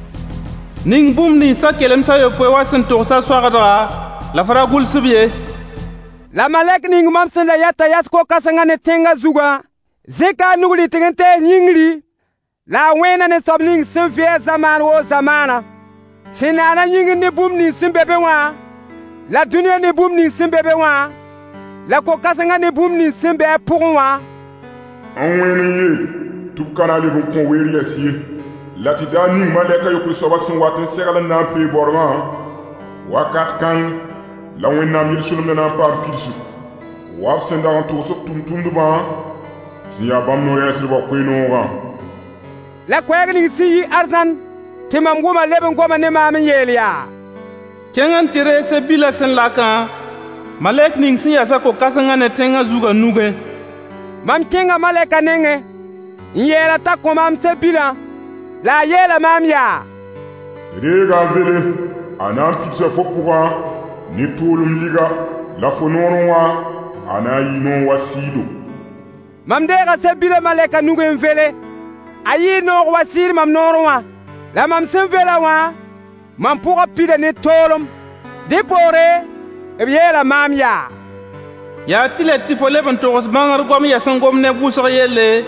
Ning bũmb nins sa-kelemsa yopoe wã sẽn togsã soagdga, la f ra gʋls-b ye. La malɛk ning mam sẽn da yata yas ko-kãsengã ne tẽngã zugã zẽka a nug rɩtg n tees yĩngri, la a wẽena ne soab ning sẽn vɩ a zamaan woo zamaana, sẽn naana yĩngr ne bũmb nins sẽn be be wã, la dũniyã ne bũmb nins sẽn be be wã, la ko-kãsengã ne bũmb nins sẽn be a pʋgẽ wã: N wẽen n yeel tɩ b ka na n leb n kõ weer yɛs ye, la tɩ daar ning malɛk a yopoe soabã sẽn wat n segl n na n pee baorgã, wakat kãng la Wẽnnaam yel-solemdã na n paam pidsgu, wa b sẽn dag n togs b tʋmtʋmdbã sẽn yaa bãmb no-rɛɛsdbã koe-noogã. La koɛɛg ning sẽn yi arzãn tɩ mam wʋma leb n goma ne maam n yeel yaa: Kẽng n tɩ reeg se-bilã sẽn lakã, malɛk ning sẽn yasa ko-kãsengã ne tẽngã zugã nugẽ. Mam kẽnga malɛkã nengẽ n yeel-a t'a kõ maam se-bilã, la a yeela maam yaa: Reega n vele, a na n pidsa fo pʋgã ne toolem liga, la fo noorẽ wã, a na n yɩ noor wa sɩɩdo. Mam deega se-bilã malɛkã nugẽ n vele. A yɩɩ noog wa sɩɩd mam noorẽ wã. La mam sẽn vela wã, mam pʋgã pida ne toolem. Dẽ poore, b yeela maam yaa: Yaa tɩlɛ tɩ fo leb n togs bãngr goam yaa sẽn gom neb wʋsg yelle,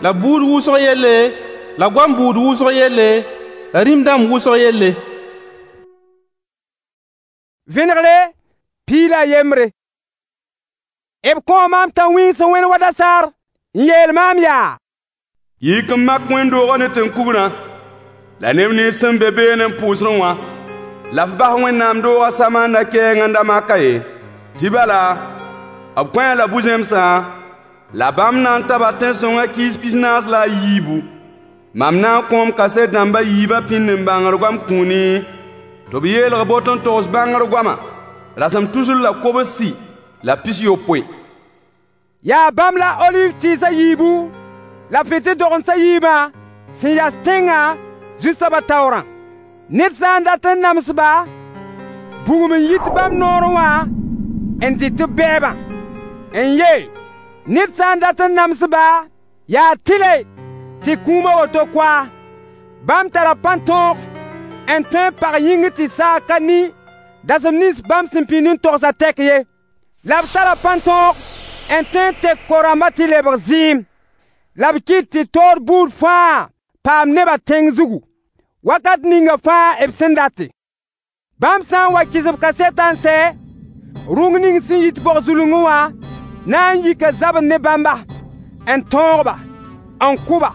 la buud wʋsg yelle, la goam buud wʋsg yelle, la rĩm-dãmb wʋsg yelle. Vẽnegre 13. B kõo maam tãn-wĩig sẽn wẽnd wa dasaar n yeel maam yaa: Yik n mak wẽnd-doogã ne tẽn-kugrã, la neb nins sẽn be beene n pʋʋsdẽ wã, la f bas Wẽnnaam doogã samanda kɛɛng n da maka ye. Tɩ bala, b kõ-a la bu-zẽmsã, la bãmb na n taba tẽn-sõngã kiis 44. Mam na n kõom kaset dãmb a yiibã pĩnd n bãngr goam kũuni, tɩ b yeelg boto n togs bãngr goamã rasem 369. Yaa bãmb la oliiv tɩɩs a yiibu la fɩtɩl-dogendsã yiibã sẽn yas tẽngã Zu-soabã taoorã. Ned sã n dat n nams-ba, bugum n yit bãmb noorẽ wã n dɩt b bɛɛbã. N ye, ned sã n dat n nams-ba, yaa tɩlɛ tɩ kũum a woto koa. Bãmb tara pãn-tõog n tõe n pag yĩngr tɩ saag ka ni dasem nins bãmb sẽn pĩnd n togsã tɛk ye. La b tara pãn-tõog n tõe n tek ko-rãmbã tɩ lebg zɩɩm. La b kɩt tɩ toor buud fãa paam nebã tẽng zugu, wakat ninga fãa b sẽn date. Bãmb sã n wa kɩs b kasetã n sɛ, rũng ning sẽn yit bog-zulungẽ wã na n yika zabr ne bãmba, n tõog-ba, n kʋ-ba.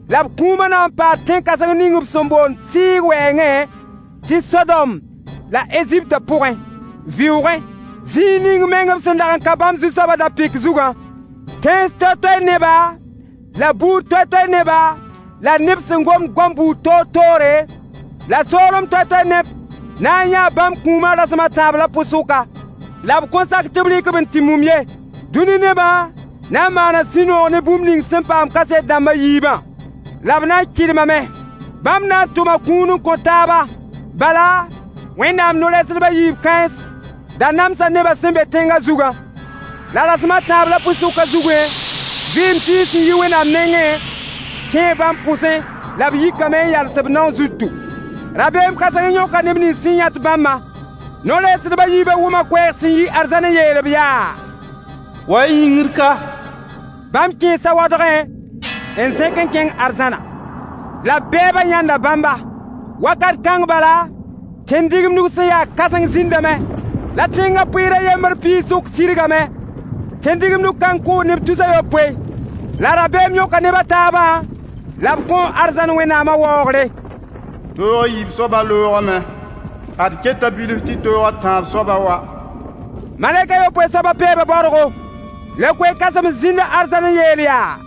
La b kũumã na n paa tẽn-kãseng ning b sẽn boond Sɩɩg wɛɛngẽ tɩ Sodom la Eziptã pʋgẽ, vɩʋʋgẽ, zĩig ning meng b sẽn dag n ka bãmb Zu-soabã da-pɩk zugã. Tẽns toay-toay neba la buud toay-toay neba la neb sẽn gomd goam buud toor-toore la soolem toay-toay neb na n yãa bãmb kũumã rasem a tãab la pʋ-sʋka. La b kõn sak tɩ b rɩk-b n tɩ mum ye. Dũni nebã na n maana sũ-noog ne bũmb ning sẽn paam kaset dãmb a yiibã. La b na n kɩdmame. Bãmb na n tʋma kũun n kõ taaba. Bala, Wẽnnaam no-rɛɛsdb a yiib kãens da namsa nebã sẽn be tẽngã zugã. La rasem a tãab la pʋ-sʋka zugẽ, vɩɩm tɩɩs sẽn yi Wẽnnaam nengẽ kẽe bãmb pʋsẽ la b yikame n yals b nao zutu. Rabeem kãseng yõka neb nins sẽn yãt bãmbã. No-rɛɛsdb a yiibã wʋma koɛɛg sẽn yi arzãn n yeel-b yaa: Wa-y yĩngr ka. Bãmb kẽesa waoodgẽ n zẽk n kẽng arzãna. La bɛɛbã yãnda bãmba. Wakat kãng bala, tẽn-digemdg sẽn yaa kãseng zĩndame, la tẽngã pʋɩɩr a yembr piig sʋk sirgame. Tẽn-digemdg kãng kʋʋ neb 300. La rabeem yõka neb a taabã, la b kõ arzãn Wẽnnaamã waoogre. Toog a yiib soabã loogame. Ad keta bilf tɩ toog a tãab soabã wa. Malɛk a yopoe soabã peeba baoodgo. La koe-kãsems zĩnda arzãn n yeel yaa: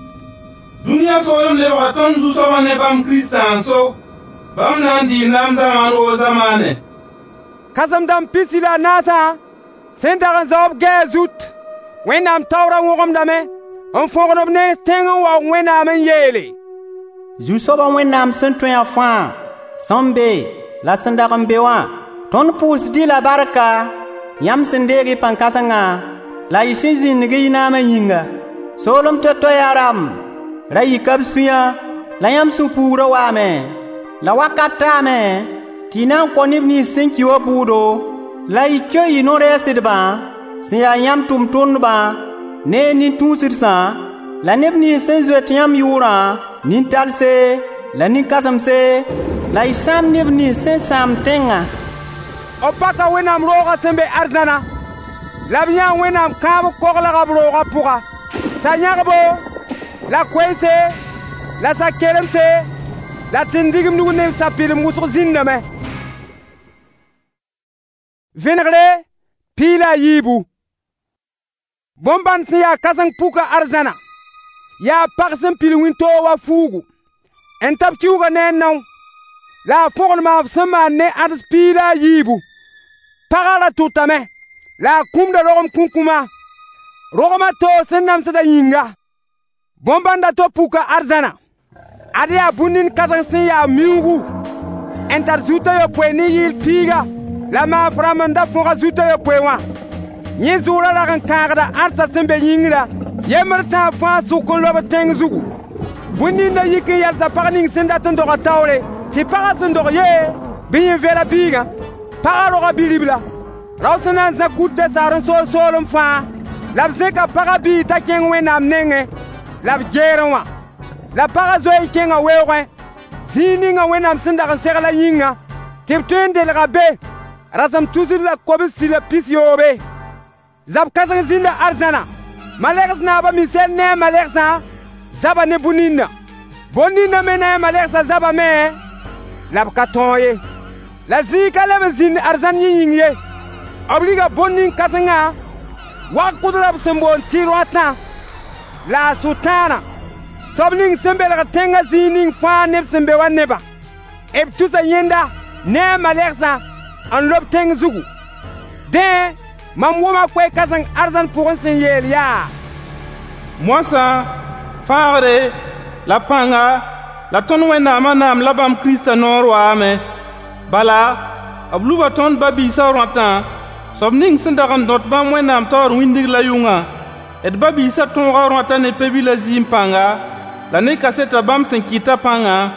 Dũniyã soolem lebga tõnd Zu-soabã ne bãmb Kiristã n so. Bãmb na n dɩɩ naam zamaan woo zamaane. Kãsem-dãmb 44sã sẽn dag n zao b gɛɛg zut, Wẽnnaam taoorã wõgemdame n fõgd b nens tẽng n waoog Wẽnnaam n yeele: Zu-soabã Wẽnnaam sẽn tõe a fãa, sẽn be la sẽn dag n be wã, tõnd pʋʋsd-y la barka, yãmb sẽn deeg y pãn-kãsengã la y sẽn zĩndg y naamã yĩnga. Soolem to-to yaa rãmb ra yika b sũyã la yãmb sũ-puugrã waame. La wakat taame tɩ y na n kõ neb nins sẽn ki wã bʋʋdo, la y keo y no-rɛɛsdbã sẽn yaa yãmb tʋmtʋmdbã ne y nin-tũusdsã la neb nins sẽn zoet yãmb yʋʋrã, nin-talse la nin-kãsemse, la y sãam neb nins sẽn sãam tẽngã. B paka Wẽnnaam roogã sẽn be arzãna, la b yãa Wẽnnaam kãab koglga b roogã pʋga. Sa-yãgbo, la koeese, la sa-kelemse, la tẽn-digemdg ne sa-pɩlem wʋsg zĩndame. Vẽnegre 14. Bõn-bãnd sẽn yaa kãseng puka arzãna, yaa pag sẽn pil wĩntoog wa fuugu, n tab kiuugã ne a nao, la a fõgen maaf sẽn maan ne ãds 14. Pagã ra tʋtame, la a kũmda rogem kũkũma, rogm a toog sẽn namsdã yĩnga. Bõn-bãnd a to puka arzãna. Ad yaa bũn-nin kãseng sẽn yaa miuugu, n tar zut a yopoe ne yɩɩl piiga, la maaf rãmb n da fõg a zut a yopoe wã. Yẽ zʋʋrã rag n kãagda ãdsã sẽn be yĩngrã, yembr tãab fãa sʋk n lob tẽng zugu. Bõn-ninda yik n yalsa pag ning sẽn dat n doga taoore, tɩ pagã sẽn dog yee, bɩ yẽ vela biigã. Pagã roga bi-ribla. Rao sẽn na n zã kutã saar n sool soolem fãa, la b zẽka pagã biig t'a kẽng Wẽnnaam nengẽ la b geerẽ wã. La pagã zoe n kẽnga weoogẽ, zĩig ninga Wẽnnaam sẽn dag n segl a yĩngã, tɩ b tõe n delga be rasem 370. Zab kãseng zĩnda arzãna. Malegs naab a Misɛl ne a malegsã zaba ne bõn-nina. Bõn-ninã me ne a malegsã zabame, la b ka tõog ye. La zĩig ka leb n zĩnd arzãn yẽ yĩng ye. B riga bõn-nin-kãsengã wag-kʋdrã b sẽn boond tɩ roatã la a Sʋtãana, soab ning sẽn belgd tẽngã zĩig ning fãa neb sẽn be wa nebã. B tusa yẽnda ne a malegsã n lob tẽng zugu. Dẽ, mam wʋma koe-kãseng arzãn pʋgẽ sẽn yeel yaa: Moasã, fãagre, la pãnga, la tõnd Wẽnnaamã naam la bãmb Kiristã noor waame. Bala, b luba tõnd ba-biisã rõatã, soab ning sẽn dag n dõt bãmb Wẽnnaam taoor wĩndg la yʋngã. D ba-biisã tõoga rõatã ne Pe-bilã zɩɩm pãnga, la ne kasetã bãmb sẽn kɩtã pãnga,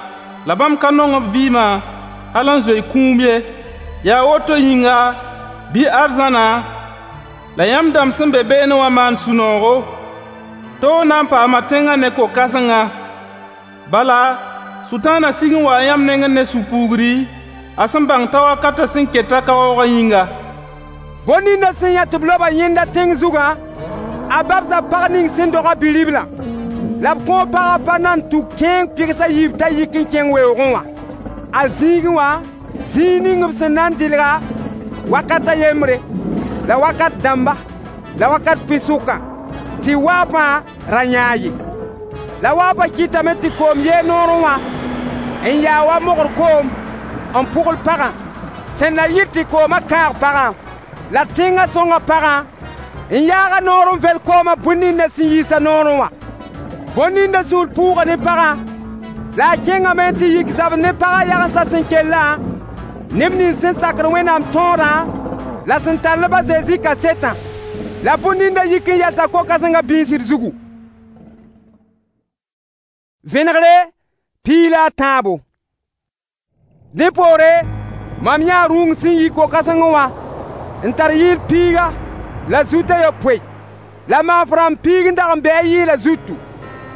la bãmb ka nong b vɩɩmã hal n zoe kũum ye. Yaa woto yĩnga, bɩ arzãna la yãmb dãmb sẽn be beene wã maan sũ-noogo. Toog na n paama tẽngã ne ko-kãsengã. Bala, Sʋtãanã sig n waa yãmb nengẽ ne sũ-puugri, a sẽn bãng t'a wakatã sẽn keta ka waoogã yĩnga. Bõn-ninda sẽn yã tɩ b loba yẽnda tẽng zugã, a babsa pag ning sẽn doga bi-riblã. La b kõo pagã pa nan tʋk kẽeng pɩgs a yiib t'a yik n kẽng weoogẽ wã. A zĩigẽ wã, zĩig ning b sẽn na n dɩlga wakat a yembre, la wakat dãmba, la wakat pʋɩ-sʋkã, tɩ waafã ra yãag ye. La waafã kɩtame tɩ koom yee noorẽ wã n yaa wa mogr koom n pʋgl pagã, sẽn na yɩl tɩ koomã kãag pagã. La tẽngã sõnga pagã n yaaga noor n vel koomã bõn-ninda sẽn yiisa noorẽ wã. Bõn-ninda sũur pʋʋga ne pagã, la a kẽngame tɩ yik zabd ne pagã yagensã sẽn kellã, neb nins sẽn sakd Wẽnnaam tõodã la sẽn tall-b a Zezi kasetã. La bõn-ninda yik n yalsa ko-kãsengã bĩisd zugu. Vẽnegre 13. Dẽ poore, mam yãa rũung sẽn yi ko-kãsengẽ wã n tar yɩɩl piiga la zut a yopoe, la maaf rãmb piig n dag n bɩ a yɩɩla zutu,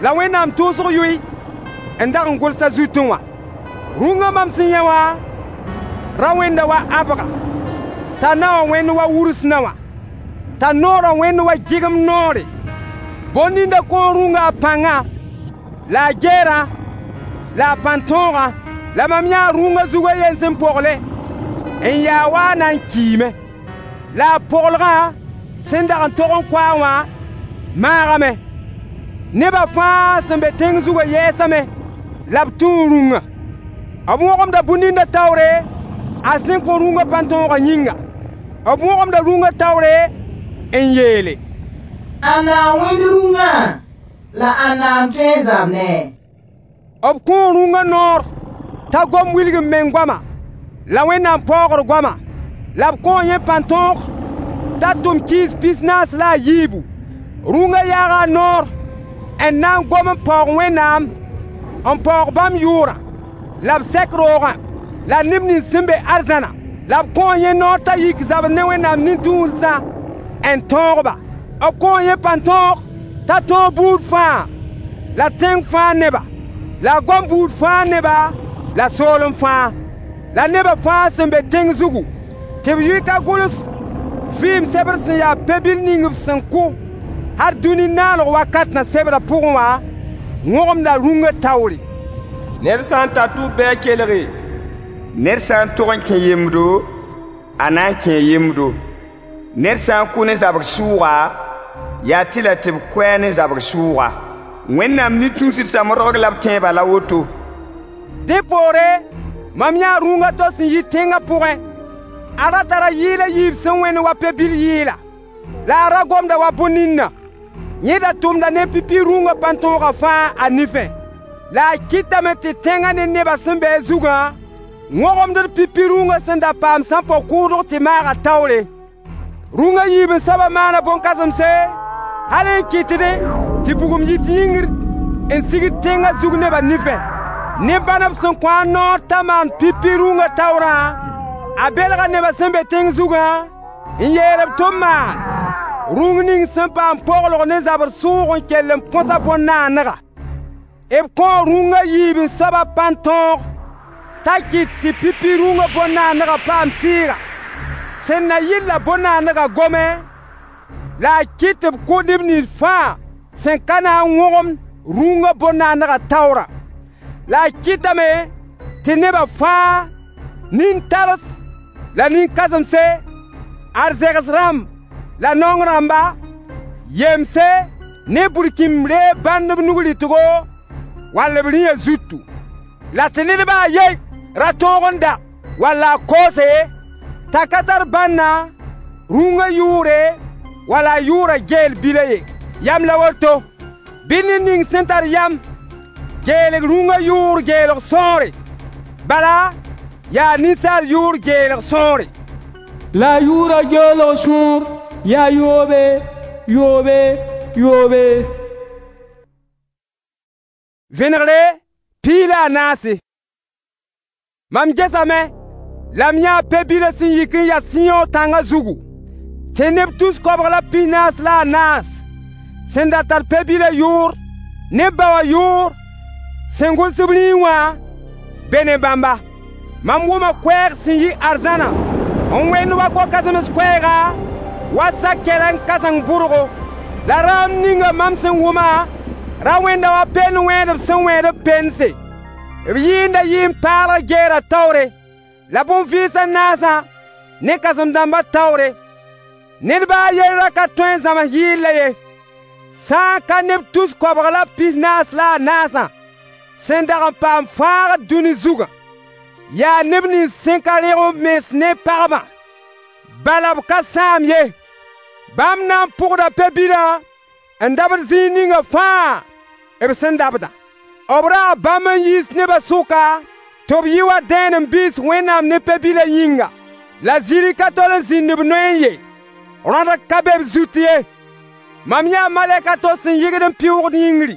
la Wẽnnaam tʋʋsg yʋy n dag n gʋls a zutẽ wã. Rũngã mam sẽn yã wã ra wẽnda wa ãbga, t'a naowã wẽnd wa wurs naowã, t'a noorã wẽnd wa gɩgem noore. Bõn-ninda kõo rũngã a pãngã, la a geerã, la a pãn-tõogã. La mam yãa rũngã zug a yen sẽn pogle n yaa wa a na n kiime. La a poglgã sẽn dag n tog n kʋ-a wã maagame. Nebã fãa sẽn be tẽng zugã yɛɛsame la b tũu rũngã. B wõgemda bũn-ninda taoore a sẽn kõ rũngã pãn-tõogã yĩnga. B wõgemda rũngã taoore n yeele: Ãnna n wẽnd rũngã la ãnna n tõe n zab ne? B kõo rũngã noor t'a gom wilg n meng goama la Wẽnnaam paoogr goama. La b kõo yẽ pãn-tõog t'a tʋm kɩɩs 44. Rũngã yaaga a noor n na n gom n paoog Wẽnnaam, n paoog bãmb yʋʋrã, la b sɛk roogã, la neb nins sẽn be arzãna. La b kõo yẽ noor t'a yik zabd ne Wẽnnaam nin-tũusdã n tõog-ba. B kõo yẽ pãn-tõog t'a tõog buud fãa la tẽng fãa neba, la a gom buud fãa neba la soolem fãa, la nebã fãa sẽn be tẽng zugu, tɩ b yʋy ka gʋls vɩɩm sebr sẽn yaa pe-bil ning b sẽn kʋ hal dũni naalg wakatã sebrã pʋgẽ wã, wõgemda rũngã taoore. Ned sã n tar tʋb bɩ a kelge. Ned sã n tog n kẽ yemdo, a na n kẽe yemdo. Ned sã n kʋ ne zabg sʋʋga, yaa tɩ la tɩ b kʋ-a ne zabg sʋʋga. Wẽnnaam nin-tũusdsã modg la b tẽebã la woto. Dẽ poore, mam yãa rũngã to sẽn yi tẽngã pʋgẽ. A ra tara yɩɩl a yiib sẽn wẽnd wa pe-bil yɩɩla, la a ra gomda wa bõn-ninna. Yẽ da tʋmda ne pipi rũngã pãn-tõogã fãa a nifẽ. La a kɩtame tɩ tẽngã ne nebã sẽn be a zugã wõgemd pipi rũngã sẽn da paam sãmpo-kʋʋdg tɩ maaga taoore. Rũngã yiib n soabã maana bõn-kãsemse, hal n kɩtdẽ tɩ bugum yit yĩngr n sigd tẽngã zug nebã nifẽ. Ne bãn b sẽn kõ a noor t'a maan pipi rũngã taoorã, a belga nebã sẽn be tẽng zugã n yeel-b tɩ b maan rũng ning sẽn paam poglg ne zabr sʋʋg n kell n põs a bõn-naanega. B kõo rũngã yiib n soabã pãn-tõog t'a kɩt tɩ pipi rũngã bõn-naanegã paam sɩɩga. Sẽn na yɩl-la bõn-naanegã gome, la a kɩt tɩ b kʋ neb nins fãa sẽn ka na n wõgemd rũngã bõn-naanegã taoorã. La a kɩtame tɩ nebã fãa, nin-tars la nin-kãsemse, arzegs rãmb la naong rãmba, yemse ne burkĩmb reeg bãnd b nug rɩtgo wall b rĩyã zutu. La tɩ ned ba a ye ra tõog n da walla a koose t'a ka tar bãnna rũngã yʋʋre walla a yʋʋrã geel bila ye. Yam la woto, bɩ ned ning sẽn tar yam geelg rũngã yʋʋr geelg sõore, bala yaa ninsaal yʋʋr geelg sõore. La a yʋʋrã geelg sõor yaa yoobe, yoobe, yoobe. Vẽnegre 14. Mam gesame la m yãa pe-bilã sẽn yik n ya Sɩyõ tãngã zugu, tɩ neb 244 sẽn da tar pe-bilã yʋʋr ne b ba wã yʋʋr sẽn gʋls b rĩig wã be ne bãmba. Mam wʋma koɛɛg sẽn yi arzãna n wẽnd wa ko-kãsems koɛɛga wa sa-kɛrɛ n kãseng bʋrgo. La raam ninga mam sẽn wʋma ra wẽnda wa pend wẽedb sẽn wẽed b pense. B yɩɩnda yɩ n paalg geera taoore, la bõn-vɩɩs a naasã ne kãsem-dãmbã taoore. Ned ba a yen ra ka tõe n zãms yɩɩlã ye, sã n ka neb 244 sẽn dag n paam fãagd dũni zugã. Yaa neb nins sẽn ka rẽg b mens ne pagbã, bala b ka sãam ye. Bãmb na n pʋgda pe-bilã n dabd zĩig ninga fãa b sẽn dabdã. B raa bãmb n yiis nebã sʋka tɩ b yɩ wa dẽenem-biis Wẽnnaam ne pe-bilã yĩnga. La zĩri ka tol n zĩnd b noyẽ ye, rõdg ka be b zut ye. Mam yãa malɛk a to sẽn yɩgd n pɩʋʋgd yĩngri.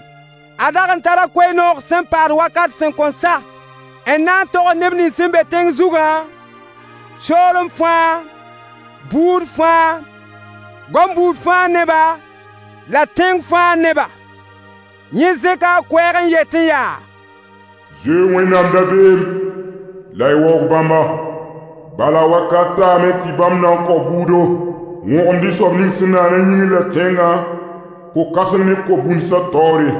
A dag n tara koe-noog sẽn paad wakat sẽn kõn sa n na n tog neb nins sẽn be tẽng zugã, soolem fãa, buud fãa, goam buud fãa neba la tẽng fãa neba. Yẽ zẽka a koɛɛg n yet n yaa: Zoe Wẽnnaam dabeem la y waoog bãmba. Bala wakat taame tɩ bãmb na n kao buudo, wõgemd y soab ning sẽn naana yĩngr la tẽngã, ko-kãseng ne ko-bũnsã taoore.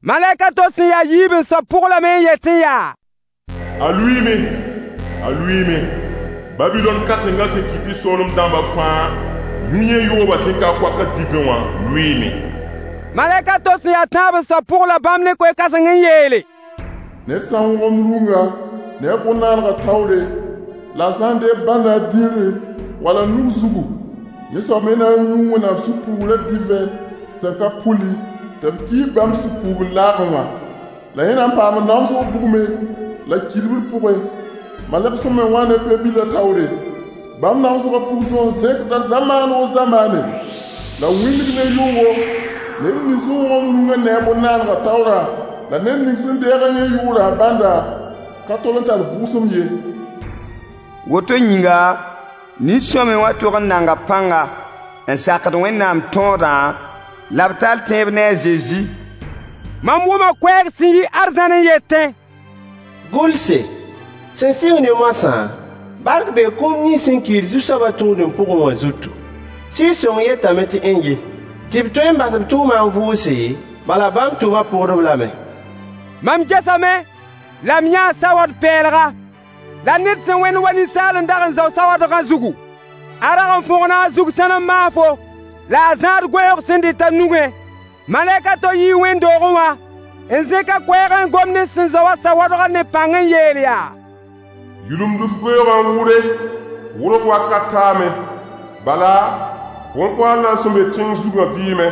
Malɛk a to sẽn ya yiib n soab pʋg lame n yet n yaa: A lʋɩɩme, a lʋɩɩme, Babilɔn kãsengã sẽn kɩt tɩ soolem dãmbã fãa yũ yẽ yoobã sẽn ka koaka divẽ wã lʋɩɩme. Malɛk a to sẽn ya tãab n soab pʋg la bãmb ne koe-kãseng n yeele: Ned sã n wõgemd rũnga ne a bõn-naanegã taoore, la a sã n deeg bãnda a dĩrẽ wala nug zugu, yẽ soab me na n yũu Wẽnnaam sũ-puugrã divẽ sẽn ka puli tɩ b kiis bãmb sũ-puugr laagẽ wã. La yẽ na n paama namsg bugmẽ la kɩdbr pʋgẽ, malɛk sẽn me wã ne pe-bilã taoore. Bãmb namsgã pugsg n zẽkda zamaan o zamaane, la wĩndg ne yʋngo, neb nins sẽn wõgemd rũngã ne a bõn-naanegã taoorã, la ned ning sẽn deeg yẽ yʋʋrã a bãnda ka tol n tar vʋʋsem ye. Woto yĩnga, nin-sõamy wã tog n nanga pãnga n sakd Wẽnnaam tõodã la b tall tẽeb ne a Zezi. Mam wʋma koɛɛg sẽn yi arzãn n yetẽ: Gʋlse, sẽn sɩng ne moasã, bark bee kũum nins sẽn kiid Zu-soabã tũudem pʋgẽ wã zutu. Sɩɩg-sõng yetame tɩ n-ye, tɩ b tõe n bas b tʋʋmã n vʋʋse, bala bãmb tʋʋmã pʋgd-b lame. Mam gesame la m yãa sawad-pɛɛlga, la ned sẽn wẽnd wa ninsaal n dag n zao sawadgã zugu. A rag n fõgna a zug sãnem maafo, la a zãad goeoog sẽn dɩt a nugẽ. Malɛk a to yii wẽnd-doogẽ wã n zẽk a koɛɛg n gom ne sẽn zao a sawadgã ne pãng n yeel yaa: Yulumd f goeoogã n wʋre, wʋrg wakat taame. Bala, bõn-koaadlã sẽn be tẽng zugã vɩɩme.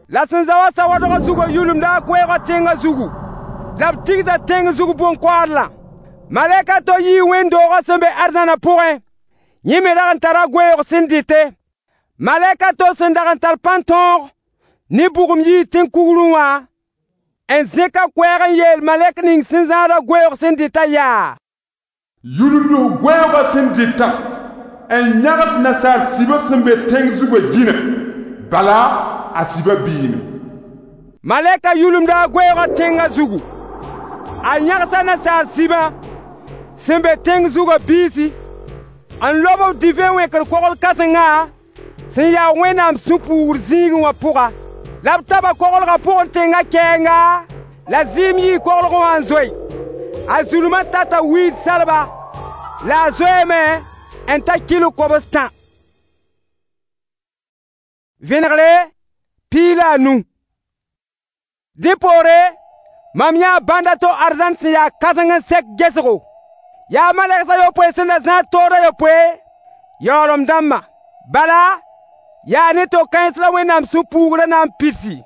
La sẽn zao a sawadgã zugã yulumda a koɛɛgã tẽngã zugu, la b tigsa tẽng zug bõn-koaadlã. Malɛk a to yii wẽnd-doogã sẽn be arzãnã pʋgẽ, yẽ me rag n tara goeoog sẽn dɩte. Malɛk a to sẽn dag n tar pãn-tõog ne bugum yii tẽn-kugrẽ wã N zẽk a koɛɛg n yeel malɛk ning sẽn zãada goeoog sẽn dɩtã yaa: Yulumd goeoogã sẽn dɩtã n yãgs nasaar sibã sẽn be tẽng zugã dĩnã, bala a sibã biime. Malɛka yulumda a goeoogã tẽngã zugu. A yãgsa nasaar sibã sẽn be tẽng zugã biisi, n lob b divẽ wẽkr kogl kãsengã sẽn ya Wẽnnaam sũ-puugr zĩigẽ wã pʋga. La b taba koglgã pʋgẽ tẽngã kɛɛnga, la zɩɩm yii koglgẽ wã n zoe. A zulmã tata wiid salba, la a zoeeme n ta kilo kobs-tã. Vẽnegre 15. Dẽ poore, mam yãa bãnd a to arzãn sẽn ya kãseng n sɛk gesgo. Yaa malɛgs a yopoe sẽn da zãad tood a yopoe, yaoolem dãmbã. Bala, yaa ne to-kãens la Wẽnnaam sũ-puugrã na n pidsi.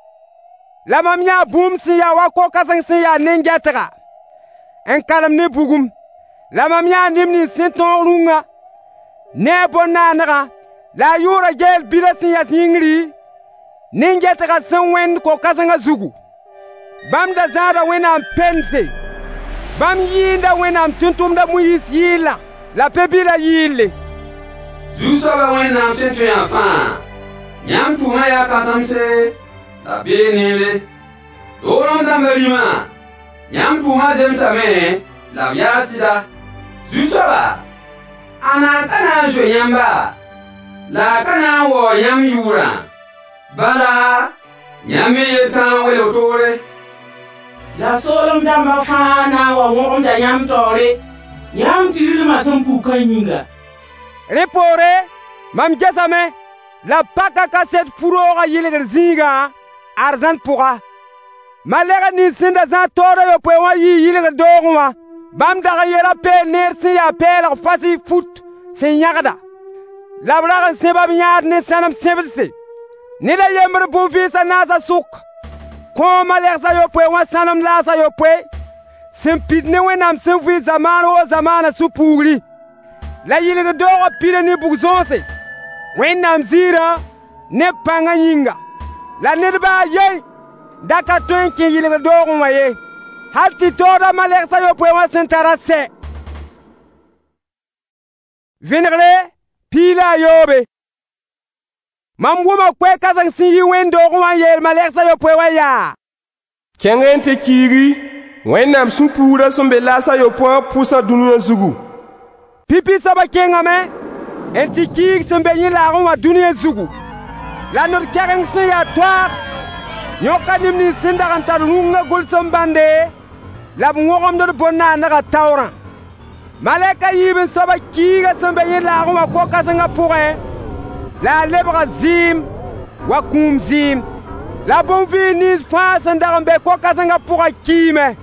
La mam yãa bũmb sẽn ya wa ko-kãseng sẽn ya nen-gɛtga, n kalem ne bugum. La mam yãa neb nins sẽn tõog rũngã ne a bõn-naanegã la a yʋʋrã geel bilã sẽn yas yĩngri, nen-gɛtgã sẽn wẽnd ko-kãsengã zugu. Bãmb da zãada Wẽnnaam pɛnse. Bãmb yɩɩnda Wẽnnaam tʋmtʋmd a Moyiis yɩɩlã la Pe-bilã yɩɩlle. Zu-soabã Wẽnnaam sẽn tõe a fãa, yãmb tʋʋmã yaa kãsemse la bee neere. Toolem dãmbã rĩmã, yãmb tʋʋmã zemsame la b yaa sɩda. Zu-soaba, ãnna n ka na n zoe yãmba, la a ka na n waoog yãmb yʋʋrã? Bala, yãmb me yel tãa n welg toore. La soolem dãmbã fãa na n wa wõgemda yãmb taoore, yãmb tɩrlmã sẽn pukã yĩnga. Rẽ poore, mam gesame la paka kaset fu-roogã yɩlgr zĩigã arzãn pʋga. Malɛg nins sẽn da zãad taood a yopoe wã yii yɩlgr doogẽ wã. Bãmb dag n yeela peel neer sẽn ya pɛɛlg fasɩ fut sẽn yãgda. La b rag n sẽba b yãad ne sãnem sẽbdse. Ned a yembr bõn-vɩɩs a naasã sʋk kõo malɛgs a yopoe wã sãnem laas a yopoe sẽn pid ne Wẽnnaam sẽn vɩ zamaan woo zamaanã sũ-puugri. La yɩlgr doogã pida ne bug-zõose, Wẽnnaam ziirã ne pãngã yĩnga. La ned ba a yen da ka tõe n kẽ yɩlgr doogẽ wã ye, hal tɩ taoodã malɛgs a yopoe wã sẽn tarã sɛ. Vẽnegre 17. Mam wʋma koɛɛ-kãseng sẽn yi wẽnd-doogẽ wã n yeel malɛgs a yopoe wã yaa: Kẽng n tɩ kiigi Wẽnnaam sũ-puurã sẽn be laas a yopoe wã pʋsã dũniyã zugu. Pipi soabã kẽngame n tɩ kiig sẽn be yẽ laagẽ wã dũniyã zugu. La nod-kɛgeng sẽn ya toaag yõka neb nins sẽn dag n tar rũngã gʋlsem bãnde la b wõgemd d bõn-naanegã taoorã. Malɛk a yiib n soabã kiiga sẽn be yẽ laagẽ wã ko-kãsengã pʋgẽ, la a lebga zɩɩm wa kũum zɩɩm. La bõn-vɩɩs nins fãa sẽn dag n be ko-kãsengã pʋgã kiime.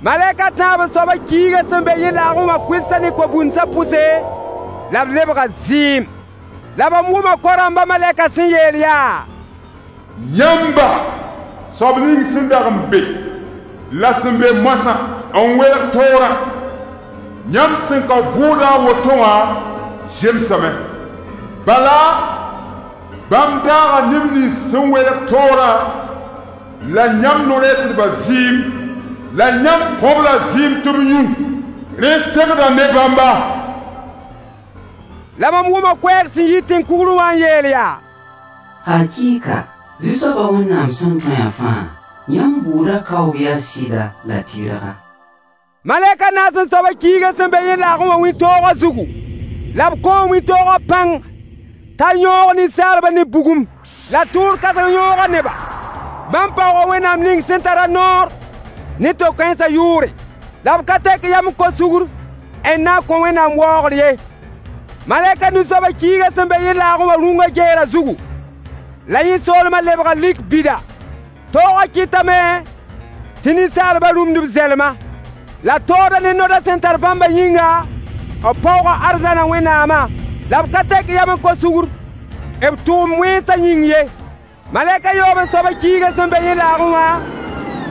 Malɛk a tãab n soabã kiiga sẽn be yẽ laagẽ wã kʋɩlsã ne ko-bũnsã pʋse, la b lebga zɩɩm. La mam wʋma ko-rãmbã malɛkã sẽn yeel yaa: Yãmba, soab ning sẽn dag n be, la sẽn be moasã n welg toorã, yãmb sẽn ka vʋʋdã a woto wã zemsame. Bala, bãmb daaga neb nins sẽn welg toorã la yãmb no-rɛɛsdbã zɩɩm, la yãmb kõ-b la zɩɩm tɩ b yũ. Rẽ segda ne bãmba. La mam wʋma koɛɛg sẽn yi tẽn-kugrẽ wã n yeel yaa: Hakɩɩka, Zu-soabã Wẽnnaam sẽn tõe a fãa, yãmb bʋʋdã kaoob yaa sɩda la tɩrga. Malɛk a naas n soabã kiigã sẽn be yẽ laagẽ wã wĩntoogã zugu, la b kõo wĩntoogã pãng t'a yõog ninsaalbã ne bugum, la tʋʋr kãseng yõoga neba. Bãmb paooga Wẽnnaam ning sẽn tara noor ne to-kãensã yʋʋre, la b ka tek yam n kos sugr n na n kõ Wẽnnaam waoogr ye. Malɛk a nu soabã kiigã sẽn be yẽ laagẽ wã rũngã geera zugu, la yẽ soolmã lebga lik bida. Toogã kɩtame tɩ ninsaalbã rũmd b zɛlma. La toodã ne nodã sẽn tar bãmbã yĩnga, b paooga arzãna Wẽnnaamã, la b ka tek yam n kos sugr b tʋʋm wẽnsã yĩng ye. Malɛk a yoob n soabã kiigã sẽn be yẽ laagẽ wã,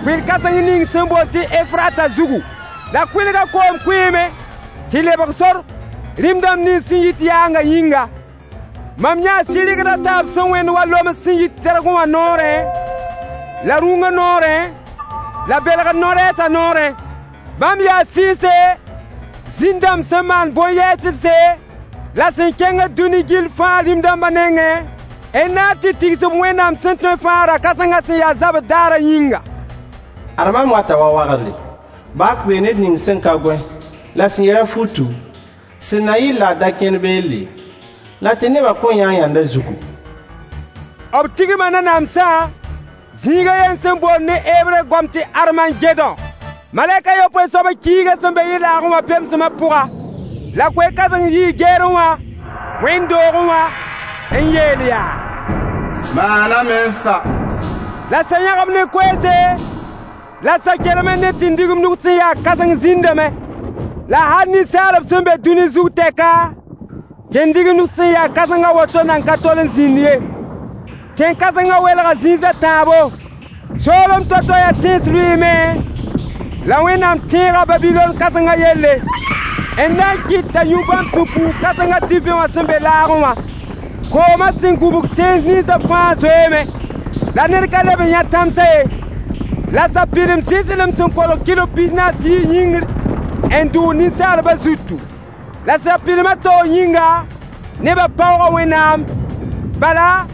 kʋɩl-kãseng ning sẽn boond tɩ Efrata zugu. La kʋɩlgã koom kʋɩɩme tɩ lebg sor rĩm dãmb nins sẽn yit yaangã yĩnga. Mam yãa sɩrgd a taab sẽn wẽnd wa loms sẽn yit tɛrgẽ wã noorẽ, la rũngã noorẽ, la belgd no-rɛɛsã noorẽ. Bãmb yaa sɩɩse, zĩn-dãmb sẽn maan bõn-yɛɛsdse la sẽn kẽngd dũni gill fãa rĩm-dãmbã nengẽ, n na n tɩ tigs b Wẽnnaam sẽn tõe fãa ra-kãsengã sẽn yaa zabr daarã yĩnga. Ad mam wata wa wagdre. Bak bee ned ning sẽn ka gõe, la sẽn yɛl-a futu, sẽn na yɩl la a da kẽnd beelle, la tɩ nebã kõn yã yãnd a zugu. B tigma nanamsã zĩig a yen sẽn boond ne Hebre goam tɩ Armagedõ. Malɛk a yopoe soabã kiiga sẽn be yɩ-laagẽ wã pemsmã pʋga, la koe-kãseng yii geerẽ wã, wẽnd-doogẽ wã, n yeel yaa: Maaname n sa. La sã yãgb ne koeese, la sã kelem ne tĩndigimdg sẽn yaa kãseng zĩndame. La hal ninsaalb sẽn be dũni zug tɛka, tĩndigimdg sẽn yaa kãseng a woto nan ka tol n zĩnd ye. Tẽn-kãsengã welga zĩis a tãabo. Soolem to-to yaa tẽns lʋɩɩme, la Wẽnnaam tẽega Babilon kãsengã yelle, n na n kɩt t'a yũ bãmb sũ-puug kãsengã divẽ wã sẽn be laagẽ wã. Koomã sẽn gubg tẽns ninsã fãa zoeeme, la ned ka leb n yã tãmsã ye. La sapɩlem sɩslem sẽn kolg kilo 44 yĩngr n dʋʋg ninsaalbã zutu. La sapɩlmã taoor yĩnga, nebã paooga Wẽnnaam, bala,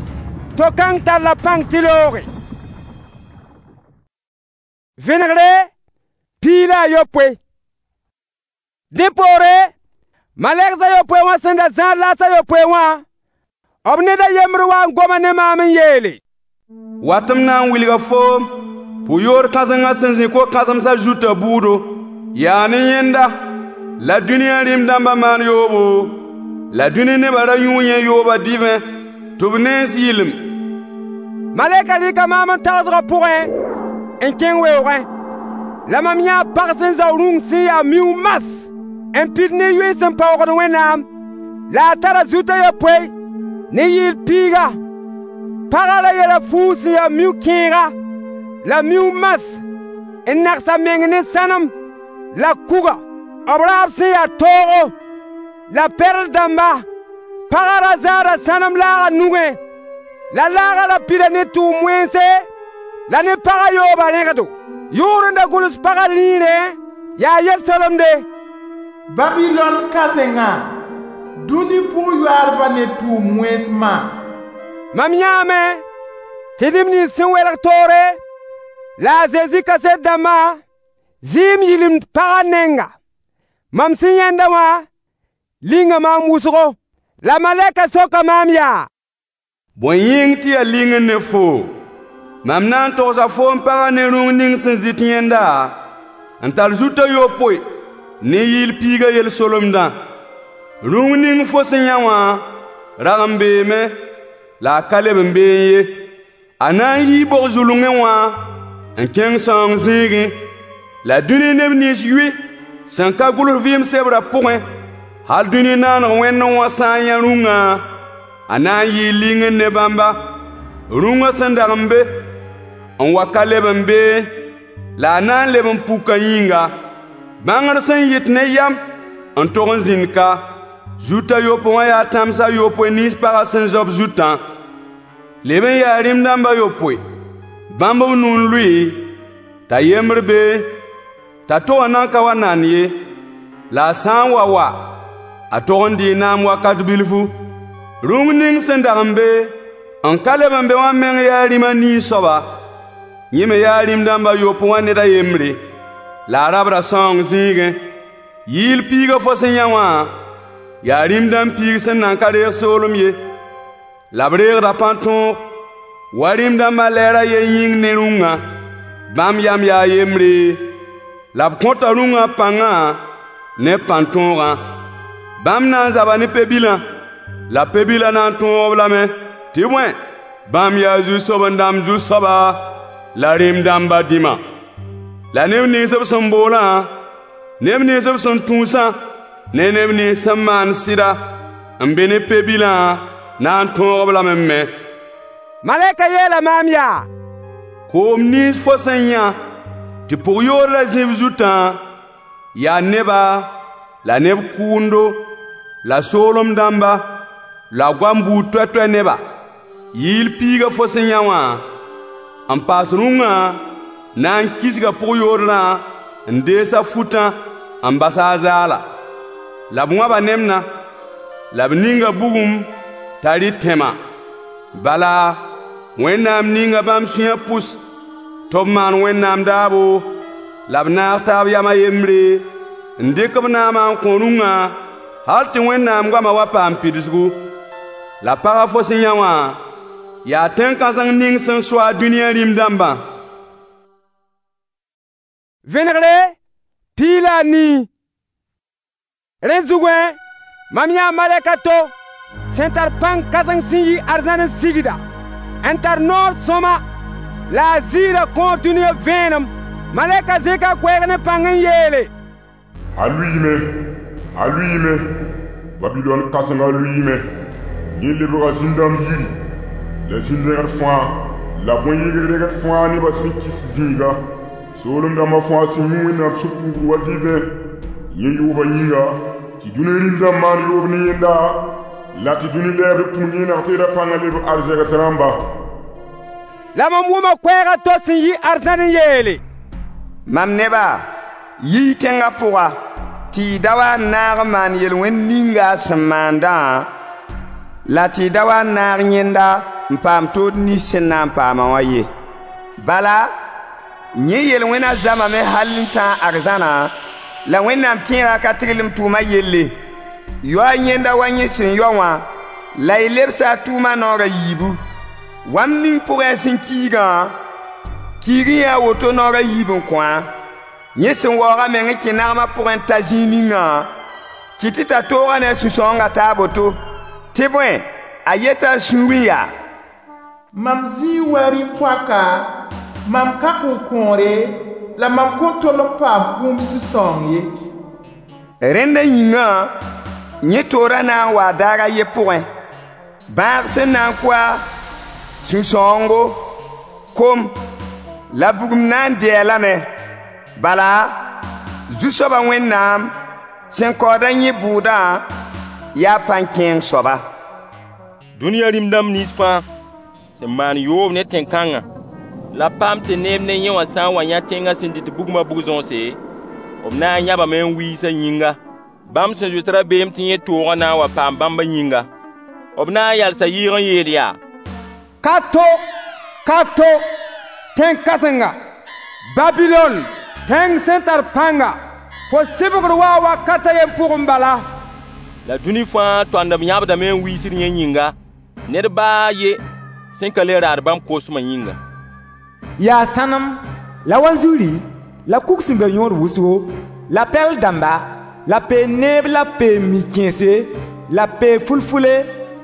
to-kãng tar la pãng tɩ looge. Vẽnegre 16. Dẽ poore, malɛgs a yopoe wã sẽn da zãad laas a yopoe wã, b ned a yembr wa n goma ne maam n yeele: Wat m na n wilga foom pʋ-yoor kãsengã sẽn zĩ ko-kãsemsã zutã bʋʋdo. Yaa ne yẽnda la dũniyã rĩm-dãmbã maan yoobo, la dũni nebã ra yũu yẽ yoobã divẽ tɩ b nens yɩlem. Malɛkã rɩka maam n tagsgã pʋgẽ n kẽng weoogẽ. La mam yãa pag sẽn zao rũng sẽn yaa miuug mas n pid ne yoe sẽn paoogd Wẽnnaam, la a tara zut a yopoe ne yɩɩl piiga. Pagã ra yɛla fuug sẽn yaa miuug kẽega la miuug mas n nags a meng ne sãnem la kuga, b raab sẽn yaa toogo la perl dãmba. Pagã ra zaada sãnem laagã nugẽ, la laagã ra pida ne tʋʋm wẽnse la ne pagã yoobã rẽgdo. Yʋʋr n da gʋls pagã rĩirẽ yaa yel-solemde: Babilon kãsengã, dũni pʋg-yoaadbã ne tʋʋm wẽns ma. Mam yãame tɩ neb nins sẽn welg toore la a Zezi kaset dãmbã zɩɩm yɩlemd pagã nenga. Mam sẽn yãenda wã linga maam wʋsgo. La malɛkã soka maam yaa: Bõe yĩng tɩ yaa lingr ne foo? Mam na n togsa foom pagã ne rũng ning sẽn zɩt yẽnda n tar zut a yopoe ne yɩɩl piigã yel-solemdã. Rũng ning fo sẽn yã wã rag n beeme, la a ka leb n beẽ ye. A na n yii bog-zulungẽ wã n kẽng sãoong zĩigẽ, la dũni neb nins yʋɩ sẽn ka gʋls vɩɩm sebrã pʋgẽ, hal dũni naaneg wẽndẽ wã sã n yã rũngã, a na n yɩɩ lingr ne bãmba. Rũngã sẽn dag n be, n wa ka leb n beẽ, la a na n leb n puka yĩnga. Bãngr sẽn yɩt ne yam n tog n zĩnd ka. Zut a yopoe wã yaa tãms a yopoe nins pagã sẽn zao b zutã. Leb n yaa rĩm-dãmb a yopoe. Bãmb b nu n lʋɩ, t'a yembr beẽ, t'a to wã nan ka wa nan ye. La a sã n wa wa, a tog n dɩɩ naam wakat bilfu. Rũng ning sẽn dag n be, n ka leb n be wã meng yaa rĩm a nii soaba. Yẽ me yaa rĩm-dãmb a yopoe wã ned a yembre, la a rabda sãoong zĩigẽ. Yɩɩl piigã fo sẽn yã wã, yaa rĩm-dãmb piig sẽn nan ka reeg soolem ye, la b reegda pãn-tõog, wa rĩm-dãmbã lɛɛr a yen yĩng ne rũngã. Bãmb yam yaa yembre, la b kõta rũngã pãngã ne pãn-tõogã. Bãmb na n zaba ne pe-bilã, la pe-bilã na n tõog-b lame, tɩ bõe, bãmb yaa zu-soben-dãmb Zu-soaba la rĩm-dãmbã dĩma. La neb nins b sẽn boolã, neb nins b sẽn tũusã, ne neb nins sẽn maan sɩda n be ne pe-bilã na n tõog-b lame me. Malɛkã yeela maam yaa: Koom nins fo sẽn yã tɩ pʋg-yoor la zĩ b zutã, yaa neba la neb kʋʋndo la soolem dãmba la goam buud toɛ-toɛ neba. Yɩɩl piigã fo sẽn yã wã n paas rũngã na n kisga pʋg-yoodrã n dees a futã n bas a zaala. La b wãba nemdã, la b ninga bugum t'a rɩ tẽma. Bala, Wẽnnaam ninga bãmb sũyã pʋs tɩ b maan Wẽnnaam daabo la b naag taab yam a yembre n dɩk b naamã n kõ rũngã hal tɩ Wẽnnaam goamã wa paam pidsgu. La pagã fo sẽn yã wã yaa tẽn-kãseng ning sẽn so a dũniyã rĩm-dãmbã. Vẽnegre 14. Rẽ zugẽ, mam yãa malɛk a to sẽn tar pãng kãseng sẽn yi arzãn n sigda, n tar noor sõma la a ziirã kõo dũniyã vẽenem. Malɛkã zẽka koɛɛg ne pãng n yeele: A lʋɩɩme, a lʋɩɩme, Babilɔn kãsengã lʋɩɩme. Yẽ lebga zĩn-dãmb yiri, la zĩn-dẽgd fãa, la bõn-yɩgd-rẽgd fãa nebã sẽn kɩs zĩiga. Soolem dãmbã fãa sẽn yũ Wẽnnaam sũ-puugr wa divẽ, yẽ yoobã yĩnga, tɩ dũni rĩm-dãmb maan yoob ne yẽnda, la tɩ dũni lɛɛbrb tũud yẽneg teedã pãngã lebg arzegs rãmba. La mam wʋma koɛɛg a to sẽn yi arzãn n yeele: Mam neba, yi-y tẽngã pʋga, tɩ y da wa n naag n maan yel-wẽnd ninga a sẽn maandã, la tɩ y da wa n naag yẽnda n paam tood nins sẽn na n paamã wã ye. Bala, yẽ yel-wẽna zamame hal n tãag arzãna, la Wẽnnaam tẽega ka tiglem tʋʋma yelle. Yao-y yẽnda wa yẽ sẽn yao wã, la y lebsa a tʋʋma naoor a yiibu. Wãmb ning pʋgẽ a sẽn kiigã, kiig-y a woto naoor a yiib n kõ-a. Yẽ sẽn waoog a meng n kẽ nagmã pʋgẽ n ta zĩig ningã, kɩt t'a tooga ne a sũ-sãoongã taa boto. Tɩ bõe, a yeta a sũurẽ yaa: Mam zĩi wa rĩ-poaka, mam ka kʋ-kõore, la mam kõn tol n paam kũum sũ-sãoong ye. Rẽndã yĩngã, yẽ toorã na n waa daar a ye pʋgẽ: bãag sẽn na n kʋ-a, sũ-sãoongo, kom la bugum na n dɩ-a lame. Bala, Zu-soabã Wẽnnaam sẽn kaood-a yẽ bʋʋdã yaa pãn-kẽeng soaba. Dũniyã rĩm-dãmb nins fãa sẽn maan yoob ne tẽn-kãngã, la paam tɩ neeb ne yẽ wã sã n wa yã tẽngã sẽn dɩt bugmã bug-zõose, b na n yãbame n wiis a yĩnga, bãmb sẽn zoet rabeem tɩ yẽ toogã na n wa paam bãmbã yĩnga. B na n yalsa yɩɩg n yeel yaa: Ka to, ka to, tẽn-kãsenga, Babilɔn, tẽng sẽn tar pãnga, fo sɩbgr waa wakat a yen pʋgẽ bala. La dũni fãa toandb yãbdame n wiisd yẽ yĩnga, ned baa a ye sẽn ka le raad bãmb kosmã yĩnga. Yaa sãnem, la wanzuri, la kug sẽn be yõod wʋsgo, la pɛl dãmba, la peen-neeb la peen-mi-kẽese, la pee-fulfule,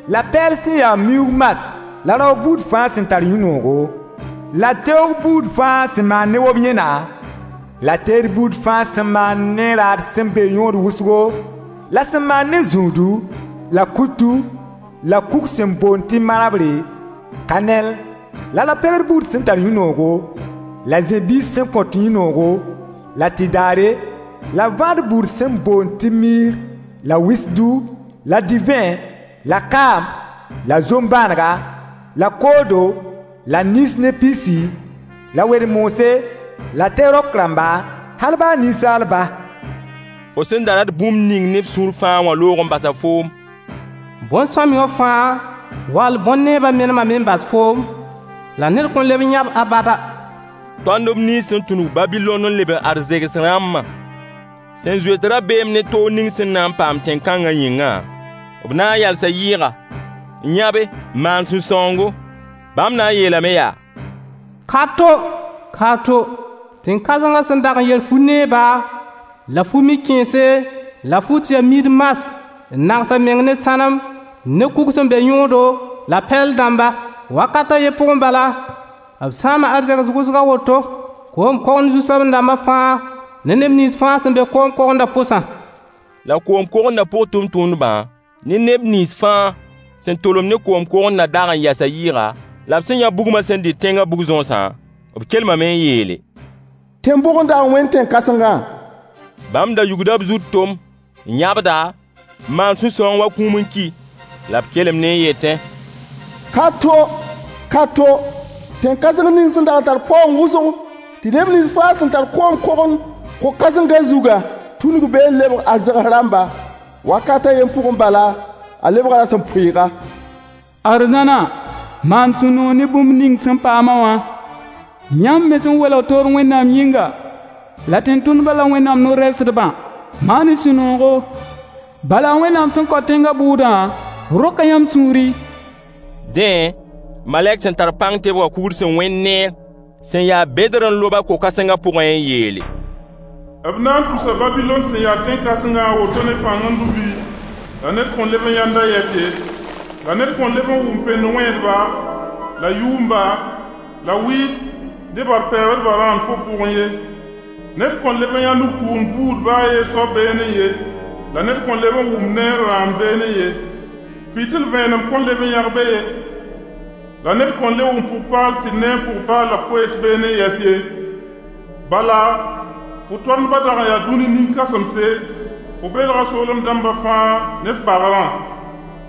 la pɛɛl sẽn ya miuug mas la rao buud fãa sẽn tar yũ-noogo, la teoog buud fãa sẽn maan ne wob-yẽna, la teed buud fãa sẽn maan ne raad sẽn be yõod wʋsgo, la sẽn maan ne zũudu, la kutu, la kug sẽn boond tɩ marabre, kanɛl, la ra-pegd buud sẽn tar yũ-noogo, la zẽ-biis sẽn kõt yũ-noogo, la tɩdaare, la vãad buud sẽn boond tɩ miir, la wisdu, la divẽ, la kaam, la zom-bãanega, la koodo, la nins ne pisi, la wed-moose, la tɩ-rok rãmba, hal baa ninsaalba. Fo sẽn da rat bũmb ning ne f sũur fãa wã loog n basa foom. Bõn-sõamy wã fãa wall bõn-neebã menemame n bas foom, la ned kõn leb n yãb abada. Tõndb nins sẽn tũnug Babilɔn n leb n arzegs rãmbã sẽn zoet rabeem ne toog ning sẽn na n paam tẽn-kãngã yĩngã, b na n yalsa yɩɩga, n yãbe, n maan sũ-sãoongo. Bãmb na n yeelame yaa: Ka to, ka to, tẽn-kãsengã sẽn dag n yel fu-neeba, la fu-mi-kẽese, la fut ya miid mas, n nags a meng ne sãnem, ne kug sẽn be yõodo, la pɛl dãmba. Wakat a ye pʋgẽ bala, b sãama arzegs wʋsg a woto, koom-kogend zu-soabẽ-dãmbã fãa ne neb nins fãa sẽn be koom-kogendã pʋsã. La koom-kogendã pʋg tʋmtʋmdbã ne neb nins fãa sẽn tolem ne koom-kogendã dag n yasa yɩɩga, la b sẽn yã bugmã sẽn dɩt tẽngã bug-zõosã, b kelmame n yeele: Tẽn-bʋg n dag n wẽnd tẽn-kãsengã? Bãmb da yugda b zut tom, n yãbda, n maan sũ-sãoong wa kũum n ki, la b kelemdẽ n yetẽ: Ka to, ka to, tẽn-kãseng ning sẽn dag n tar paoong wʋsgo, Tɩ neb nins fãa sẽn tar koom kogend ko-kãsengã zugã tũnug be n lebg arzegs rãmba. Wakat a yen pʋgẽ bala, a lebga rasem-pʋɩɩga. Arzãna, maan sũ-noog ne bũmb ning sẽn paam-a wã, yãmb me sẽn welg toor Wẽnnaam yĩnga, la tẽn-tʋndbã la Wẽnnaam no-rɛɛsdbã. Maan-y sũ-noogo. Bala Wẽnnaam sẽn kao tẽngã bʋʋdã roka yãmb sũuri. Dẽ, malɛk sẽn tar pãng tebgã kugr sẽn wẽnd neer sẽn ya bedr n lob-a ko-kãsengã pʋgẽ n yeele: B na n tusa Babilon sẽn ya tẽn-kãsengã a woto ne pãng n lubi, la ned kõn leb n yãnd a yɛs ye. La ned kõn leb n wʋm pend-wẽedba, la yʋʋmba, la wɩɩs ne bar-pɛɛbdbã rãand fo pʋgẽ ye. Ned kõn leb n yã nug-tʋʋm buud baa a yen soab beene ye, la ned kõn leb n wʋm neer rãam beene ye. Fɩtɩl vẽenem kõn leb n yãg be ye, la ned kõn le wʋm pʋg-paal sɩd ne n pʋg-paal la koees beene n yɛs ye. Bala, fo toandbã dag n yaa dũni nin-kãsemse, fo belga soolem dãmbã fãa ne f bagrã.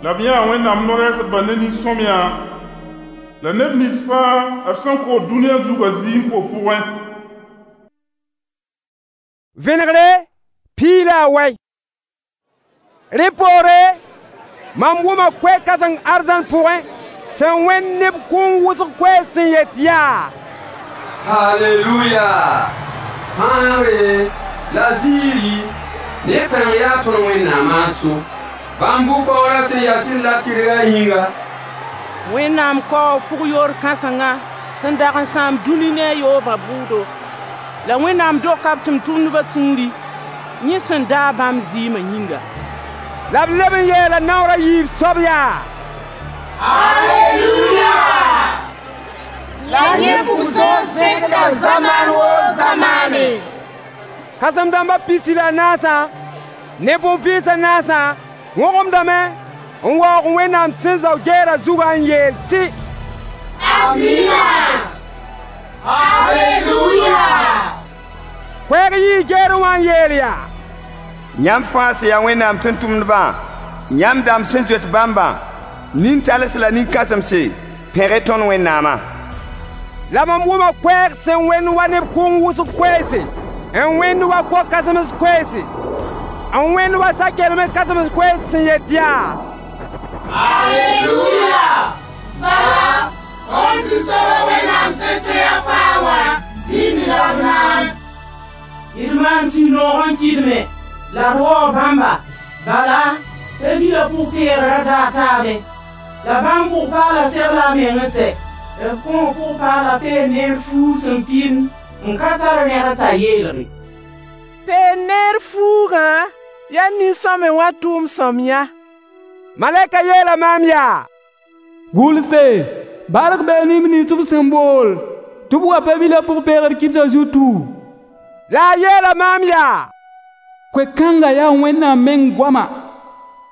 La b yãa Wẽnnaam no-rɛɛsdbã ne nin-sõmyã, la neb nins fãa b sẽn kood dũniyã zugã zɩɩm fo pʋgẽ. Vẽnegre 18. Rẽ poore, mam wʋma koe-kãseng arzãn pʋgẽ sẽn wẽnd neb kũum wʋsg koees sẽn yet yaa: Haleluya! Pãagre la ziiri ne pãng yaa tõnd Wẽnnaamã n so. Bãmb bʋ-kaoorã sẽn yaa sɩd la tɩrgã yĩnga. Wẽnnaam kaoog pʋg-yoor kãsenga sẽn dag n sãam dũni ne a yoobã bʋʋdo. La Wẽnnaam doka b tʋmtʋmdbã sũuri, yẽ sẽn daag bãmb zɩɩmã yĩnga. La b leb n yeela naoor a yiib soab yaa: Aleluya! La yẽ bug-sõor zẽkda zamaan woo zamaane. Kãsem-dãmbã 14 ne bõn-vɩɩs a naasã wõgemdame n waoog Wẽnnaam sẽn zao gɛɛrã zugã n yeel tɩ: Amina! Aleluya! Koɛɛg yii gɛɛrẽ wã n yeel yaa: Yãmb fãa sẽn ya Wẽnnaam tʋmtʋmdbã, yãmb dãmb sẽn zoet bãmbã, nin-tals la nin-kãsemse, pẽg-y tõnd Wẽnnaamã. La mam wʋma koɛɛg sẽn wẽnd wa neb kʋʋng wʋsg koeese, n wẽnd wa ko-kãsems koeese, n wẽnd wa sa-kelem kãsems koees sẽn yet yaa: Aleluya! Bala, tõnd Zu-soabã Wẽnnaam sẽn tõe a fãa wã zĩnd la b naam. D maan sũ-noog n kɩdme la d waoog bãmba. Bala, Pe-bilã pʋg-peegrã daa taabe. La bãmb pʋg-paala segla a meng n sɛ. B kõo pʋg-paala peen neer fuug sẽn pĩnd n ka tar rẽgd t'a yeelge. Peen neer fuugã yaa nin-sõame wã tʋʋm sõamyã. Malɛka yeela maam yaa: Gʋlse, bark bee neb nins b sẽn bool tɩ b wa Pe-bilã pʋg-peegr kibsã zutu. La a yeela maam yaa: Koe-kãngã yaa Wẽnnaam meng goama.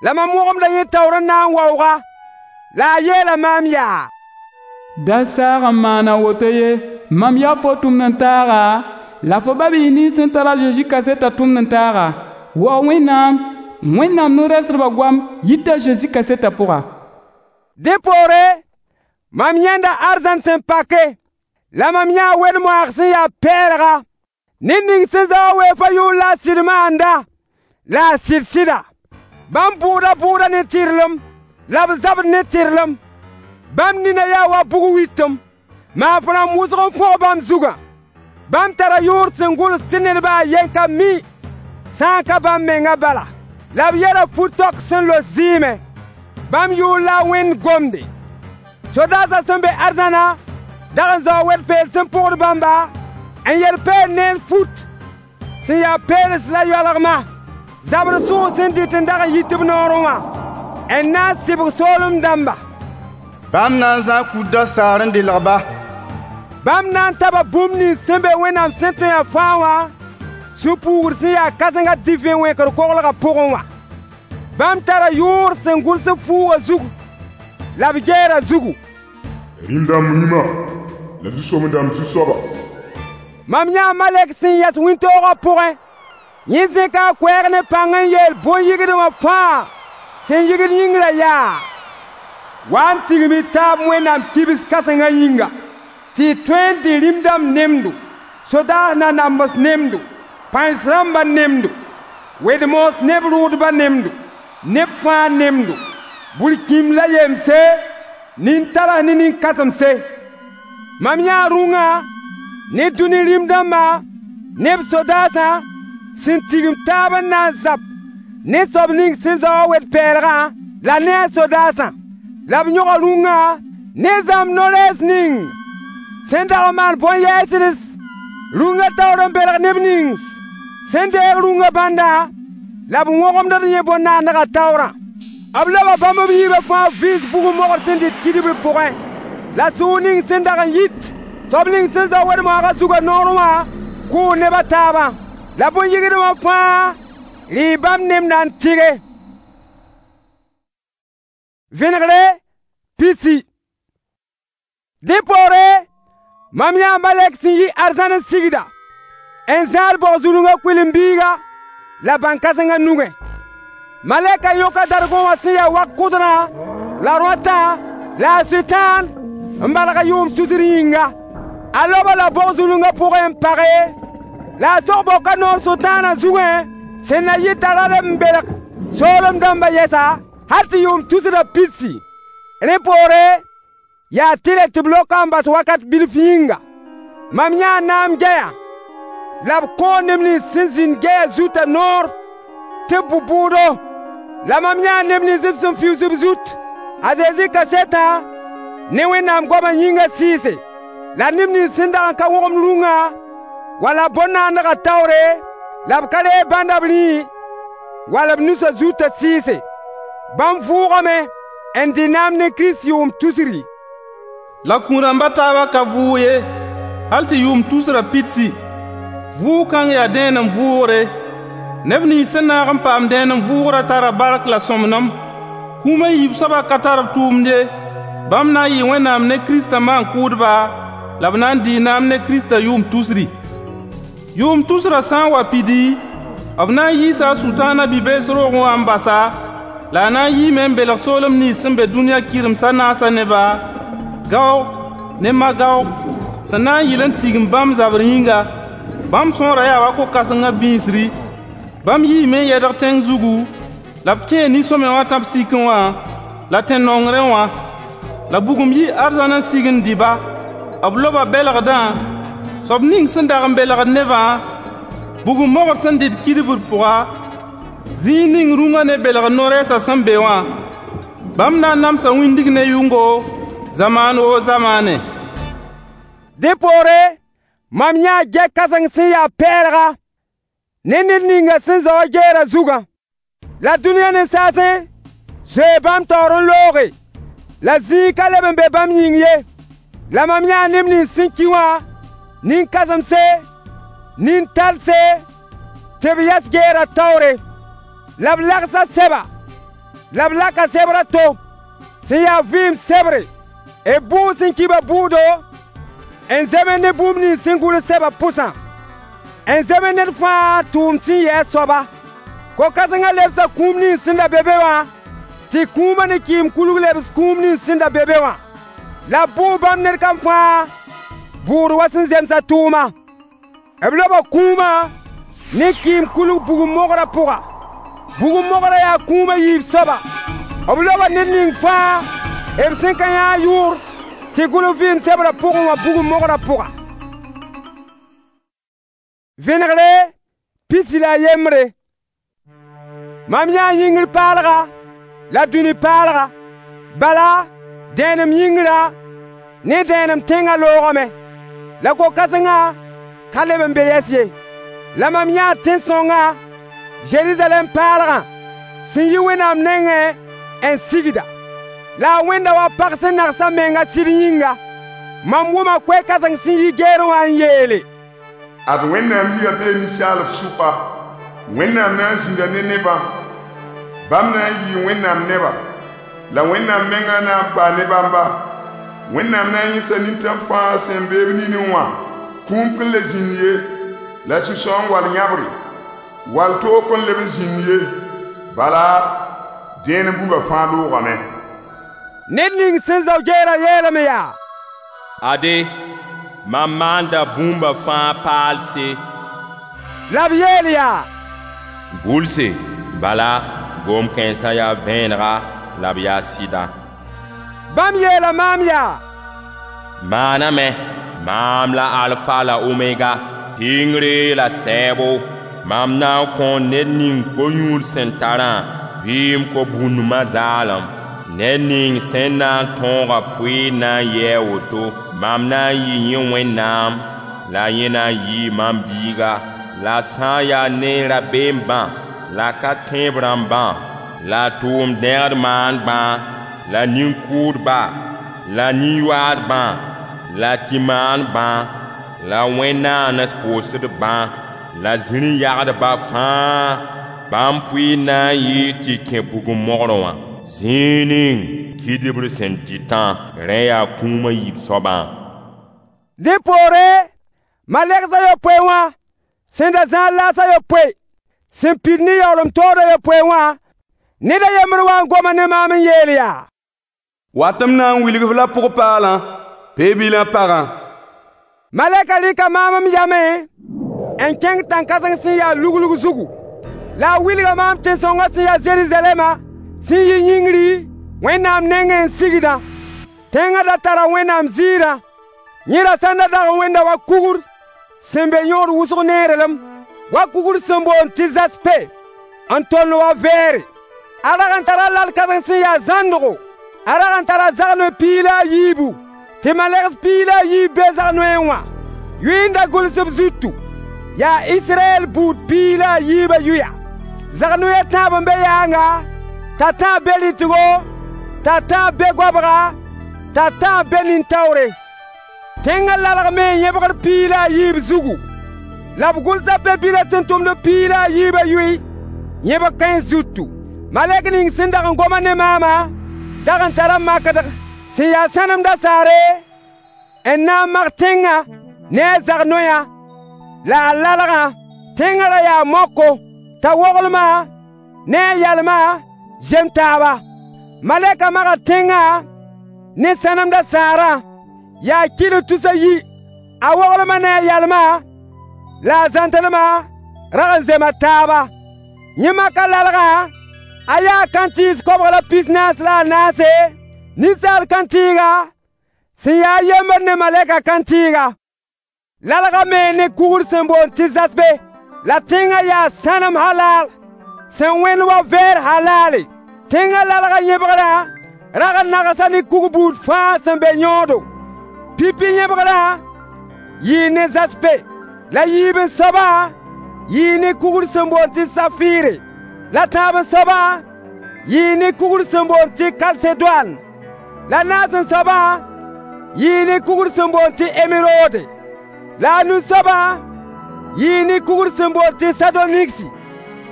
La mam wõgemda yẽ taoor n na n waooga. La a yeela maam yaa: Da saag n maan a woto ye, mam yaa fo tʋmd-n-taaga, la fo ba-biis nins sẽn tar a Zezi kasetã tʋmd-n-taaga. Waoog Wẽnnaam, Wẽnnaam no-rɛɛsdbã goam yita Zezi kasetã pʋga. Dẽ poore, mam yãenda arzãn sẽn pake, la mam yãa wed-moaag sẽn ya pɛɛlga. Ned ning sẽn zao a weoofã yʋʋr la a sɩd maanda, la a sɩd sɩda. Bãmb bʋʋda bʋʋda ne tɩrlem, la b zabd ne tɩrlem. Bãmb nina yaa wa bug wɩtem, maaf-rãmb wʋsg n fõg bãmb zugã. Bãmb tara yʋʋr sẽn gʋls tɩ ned baa a yen ka mi, sã n ka bãmb mengã bala. La b yɛda fu-taok sẽn los zɩɩmẽ. Bãmb yʋʋr la a Wẽnd gomde. Sodaasã sẽn be arzãna dag n zao wed-peel sẽn pʋgd bãmba n yel peen neer fut sẽn yaa peels la yoalgmã, zabr sʋʋg sẽn dɩt n dag n yit b noorẽ wã, n na n sɩbg soolem dãmba. Bãmb na n zãa kut dasaar n dɩlg-ba. Bãmb na n taba bũmb nins sẽn be Wẽnnaam sẽn tõe a fãa wã sũ-puugr sẽn yaa kãsengã divẽ wẽkr koglgã pʋgẽ wã. Bãmb tara yʋʋr sẽn gʋls fuugã zugu la b gɛɛra zugu: Rĩm-dãmb rĩma la zu-soab-dãmb zu-soaba. Mam yãa malɛk sẽn yɛs wĩntoogã pʋgẽ. Yẽ zẽka a koɛɛg ne pãng n yeel bõn-yigd wã fãa sẽn yigd yĩngrã yaa: Wa n tigim y taab Wẽnnaam kibs kãsengã yĩnga, tɩ y tõe n dɩ rĩm-dãmb nemdo, Sodaas nanambs nemdo, pãens rãmbã nemdo, wed-moos neb rʋʋdbã nemdo, neb fãa nemdo, burkĩmb la yemse, nin-tals ne nin-kãsemse. Mam yãa rũngã ne dũni rĩm dãmbã ne b sodaasã sẽn tigim taab n na n zab ne soab ning sẽn zao wed-pɛɛlgã la ne a sodaasã. La b yõga rũngã ne zãmb no-rɛɛs ning sẽn dag n maan bõn-yɛɛsds rũngã taoor n belg neb nins sẽn deeg rũngã bãndã la b wõgemd yẽ bõn-naandgã taoorã. B loba bãmb b yiibã fãa vɩɩs bugum mogr sẽn dɩt kidbr pʋgẽ. La sʋʋg ning sẽn dag n yit soab ning sẽn zao wed-moagã zugã noorẽ wã kʋʋ neb a taabã. La bõn-yɩgdmã fãa rɩɩ bãmb nemda n tɩge. Vẽnegre pisi. Dẽ poore mam yãa malɛk sẽn yi arzãn n sigda, n zãad bog-zulungã kʋɩlen-biiga la bãn-kãsengã nugẽ. Malɛkã yõka dargõ wã sẽn ya wak-kʋdrã la rõatã la a Sʋtãan n balg a yʋʋm tusr yĩnga. A loba la bog-zulungã pʋgẽ n page, la a sog-boka noor Sʋtãanã zugẽ sẽn na yɩ t'a ra leb n belg soolem dãmbã yɛsa hal tɩ yʋʋm tusrã pidsi. Rẽ poore yaa tɩlɛ tɩ b loka n bas wakat bilf yĩnga. Mam yãa naam gɛyã la b kõo neb nins sẽn zĩnd gɛyã zutã noor tɩ b bʋ bʋʋdo. La mam yãa neb nins b sẽn fiuus b zut a Zezi kasetã ne Wẽnnaam goamã yĩngã sɩɩse. La neb nins sẽn dag n ka wõgemd rũngã wala bõn-naandgã taoore la b ka reeg bãnda b rĩi wala b nusã zutã sɩɩse. Bãmb vʋʋgame n dɩ naam ne Kirist yʋʋm tusri. La kũun-rãmba taabã ka vʋʋg ye, hal tɩ yʋʋm tusrã pidsi. Vʋʋg kãng yaa dẽenem vʋʋgre. Neb nins sẽn naag n paam dẽenem vʋʋgrã tara bark la sõmblem. Kũum a yiib soabã ka tar b tʋʋmd ye. Bãmb na n yɩɩ Wẽnnaam ne Kiristã maan-kʋʋdba, la b na n dɩɩ naam ne Kiristã yʋʋm tusri. Yʋʋm tusrã sã n wa pidi, b na n yiisa a Sʋtãanã bi-bees roogẽ wã n basa, la a na n yiime n belg soolem nins sẽn be dũniyã kɩrems a naasã neba, Gaog ne Magaog, sẽn na n yɩl n tigim bãmb zabr yĩnga. Bãmb sõorã yaa wa ko-kãsengã bĩisri. Bãmb yiime n yɛdg tẽng zugu, la b kẽe nin-sõamy wã tãb-sikẽ wã la tẽn-nongrẽ wã. La bugum yii arzãn n sig n dɩ-ba. B loba belgdã, soab ning sẽn dag n belgd nebã, bugum mogr sẽn dɩt kidbr pʋga, zĩig ning rũngã ne belgr no-rɛɛsã sẽn be wã. Bãmb na n namsa wĩndg ne yʋngo, zamaan woo zamaane. Dẽ poore mam yãa gɛy-kãseng sẽn yaa pɛɛlga ne ned ninga sẽn zao a geerã zugã. La dũniyã nin-saasẽ zoee bãmb taoor n looge, la zĩig ka leb n be bãmb yĩng ye. La mam yãa neb nins sẽn ki wã, nin-kãsemse, nin-talse, tɩ b yɛs geerã taoore. La b lagsa sɛba, la b laka sebr a to sẽn yaa vɩɩm sebre, b bʋʋg sẽn ki ba bʋʋdo, n zems ne bũmb nins sẽn gʋls sɛbã pʋsã, n zems ned fãa tʋʋm sẽn yɩ a soaba. Ko-kãsengã lebsa kũum nins sẽn da be be wã, tɩ kũumã ne kɩɩm kulg lebs kũum nins sẽn da be be wã. La b bʋʋ bãmb ned kam fãa bʋʋd wa sẽn zems a tʋʋma. B loba kũumã ne kɩɩm kulg bugum mogrã pʋga. Bugum mogrã yaa kũum a yiib soaba. B loba ned ning fãa b sẽn ka yã a yʋʋr tɩ gʋls vɩɩm sebrã pʋgẽ wã bugum mogrã pʋga. Vẽnegre pisi la a yembre. Mam yãa yĩngr paalga la dũni paalga. Bala, dẽenem yĩngrã ne dẽenem tẽngã loogame. La ko-kãsengã ka leb n be yɛs ye. La mam yãa tẽn-sõngã, Zerizalɛm paalgã, sẽn yi Wẽnnaam nengẽ n sigda. La a wẽnda wa pag sẽn nags a menga sɩd yĩnga. Mam wʋma koɛɛ-kãseng sẽn yi geerẽ wã n yeele: Ad Wẽnnaam yirã bee ninsaalb sʋka. Wẽnnaam na n zĩnda ne nebã. Bãmb na n yɩɩ Wẽnnaam neba. La Wẽnnaam mengã na n paa ne bãmba. Wẽnnaam na n yẽsa nintãm fãa sẽn be b ninẽ wã. Kũum kõn le zĩnd ye, la sũ-sãoong wall yãbre, wall toog kõn leb n zĩnd ye. Bala, dẽenem bũmba fãa loogame. Ned ning sẽn zao geerã yeelame yaa: Ade, Mam maanda bũmba fãa paalse. La b yeel yaa: Gʋlse, bala, gom-kãensã yaa vẽenega la b yaa sɩda. Bãmb yeela maam yaa: Maaname, maam la Alfa la Omega, kɩngre la sɛɛbo. Mam na n kõo ned ning ko-yũud sẽn tarã vɩɩm ko-bũndmã zaalem. Ned ning sẽn na n tõog a pʋɩɩr na n yɩ a woto: mam na n yɩ yẽ Wẽnnaam, la yẽ na n yɩɩ mam biiga. La sã n yaa ne rabeembã la ka tẽeb rãmbã, la tʋʋm-dẽgd maandbã, la nin-kʋʋdba, la nin-yoaadbã, la tɩ-maandbã, la wẽn-naanes pʋʋsdbã, la zĩri-yagdbã fãa, bãmb pʋɩɩr na n yɩɩ tɩ kẽ bugum mogrẽ wã, zĩig ning kidibr sẽn dɩtã, rẽ yaa kũum a yiib soabã. Dẽ poore, malegs a yopoe wã sẽn da zãad laas a yopoe sẽn pid ne yaoolem tood a yopoe wã, ned a yembr wa n goma ne maam n yeel yaa: Wat m na n wilg-f la pʋg-paalã, Pe-bilã pagã. Malɛkã rɩka maam m yamẽ n kẽng tãn-kãseng sẽn ya luglg zugu. La a wilga maam tẽn-sõngã sẽn ya Zeruzalɛmã sẽn yi yĩngri Wẽnnaam nengẽ n sigdã. Tẽngã da tara Wẽnnaam ziirã. Yẽ ra sãn da dag n wẽnda wa kugr sẽn be yõod wʋsg neerelem, wa kugr sẽn boond tɩ zaspe, n tond wa vɛɛre. A rag n tara lal kãseng sẽn ya zãndgo. A rag n tara zagnoe piig la a yiibu, tɩ malegs piig la a yiib be zagnoeẽ wã. Yʋy n da gʋls b zutu, yaa Israyɛl buud piig la a yiibã yʋya. Zagnoe a tãab n be yaanga, t'a tãab be rɩtgo, t'a tãab be goabga, t'a tãab be nin-taoore. Tẽngã lalgame n yẽbgd piig la a yiib zugu, la b gʋlsa pe-bilã tʋmtʋmdb piig la a yiibã yʋy yẽbg kãens zutu. Malɛk ning sẽn dag n goma ne maamã dag n tara makdg sẽn ya sãnem dasaare n na n mak tẽngã ne a zagnoyã la a lalgã. Tẽngã ra yaa moko t'a woglmã ne a yalmã zem taaba. Malɛkã maga tẽngã ne sãnem dasaarã yaa kɩl tus a yi. A woglmã ne a yalmã la a zãntelmã rag n zema taaba. Yẽ maka lalgã, a yaa kãntɩɩs 244, ninsaal kãntɩɩga sẽn yaa yembr ne malɛka kãntɩɩga. Lalgã me ne kugr sẽn boond tɩ zasbe, la tẽngã yaa sãnem halal sẽn wẽnd wa vɛɛr halaale. Tẽngã lalgã yẽbgrã rag n nagsa ne kug buud fãa sẽn be yõodo. Pipi yẽbgrã yɩɩ ne zaspe, la yiib n soabã yɩɩ ne kugr sẽn boond tɩ safɩɩre, la tãab n soabã yɩɩ ne kugr sẽn boond tɩ kalsedoan, la naas n soabã yɩɩ ne kugr sẽn boond tɩ emerode, la a nu soabã yɩɩ ne kugr sẽn boond tɩ sadoniksi,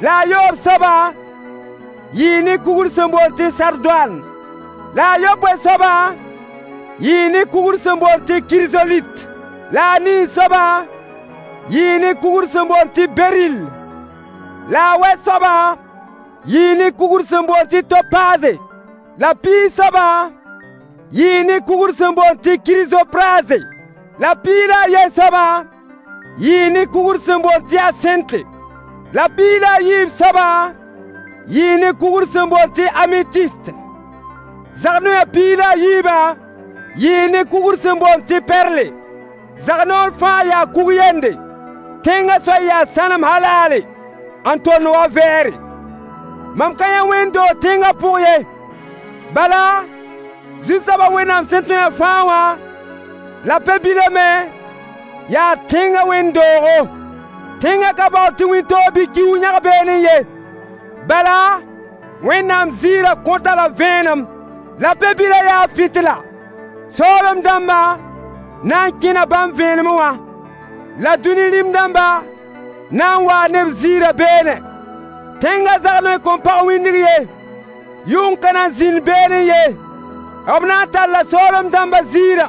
la a yoob soabã yɩɩ ne kugr sẽn boond tɩ sardoan, la a yopoe soabã yɩɩ ne kugr sẽn boond tɩ kirzolit, la a nii soabã yɩɩ ne kugr sẽn boond tɩ beril, la a wɛ soabã yɩɩ ne kugr sẽn boond tɩ topaze, la piig soabã yɩɩ ne kugr sẽn boond tɩ kirizopraze, la piig la a yen soabã yɩɩ ne kugr sẽn boond tɩ asẽnte, la piig la a yiib soabã yɩɩ ne kugr sẽn boond tɩ amitiste. Zagnoyã piig la a yiibã yɩɩ ne kugr sẽn boond tɩ perle. Zagnoor fãa yaa kug yende. Tẽngã soay yaa sãnem halaale n tond wa vɛɛre. Mam ka yã wẽnd-doog tẽngã pʋg ye. Bala, Zu-soabã Wẽnnaam sẽn tõe a fãa wã la Pe-bilã me yaa tẽngã wẽnd-doogo. Tẽngã ka baood tɩ wĩntoog bɩ kiuug yãg beene ye. Bala, Wẽnnaam ziirã kõta la vẽenem, la Pe-bilã yaa fɩtla. Soolem dãmbã na n kẽna bãmb vẽenemẽ wã, la dũni rĩm dãmba na n waa ne b ziirã beene. Tẽngã zagnoe kõn pag wĩndg ye, yʋng ka na n zĩnd beene ye. B na n talla soolem dãmbã ziirã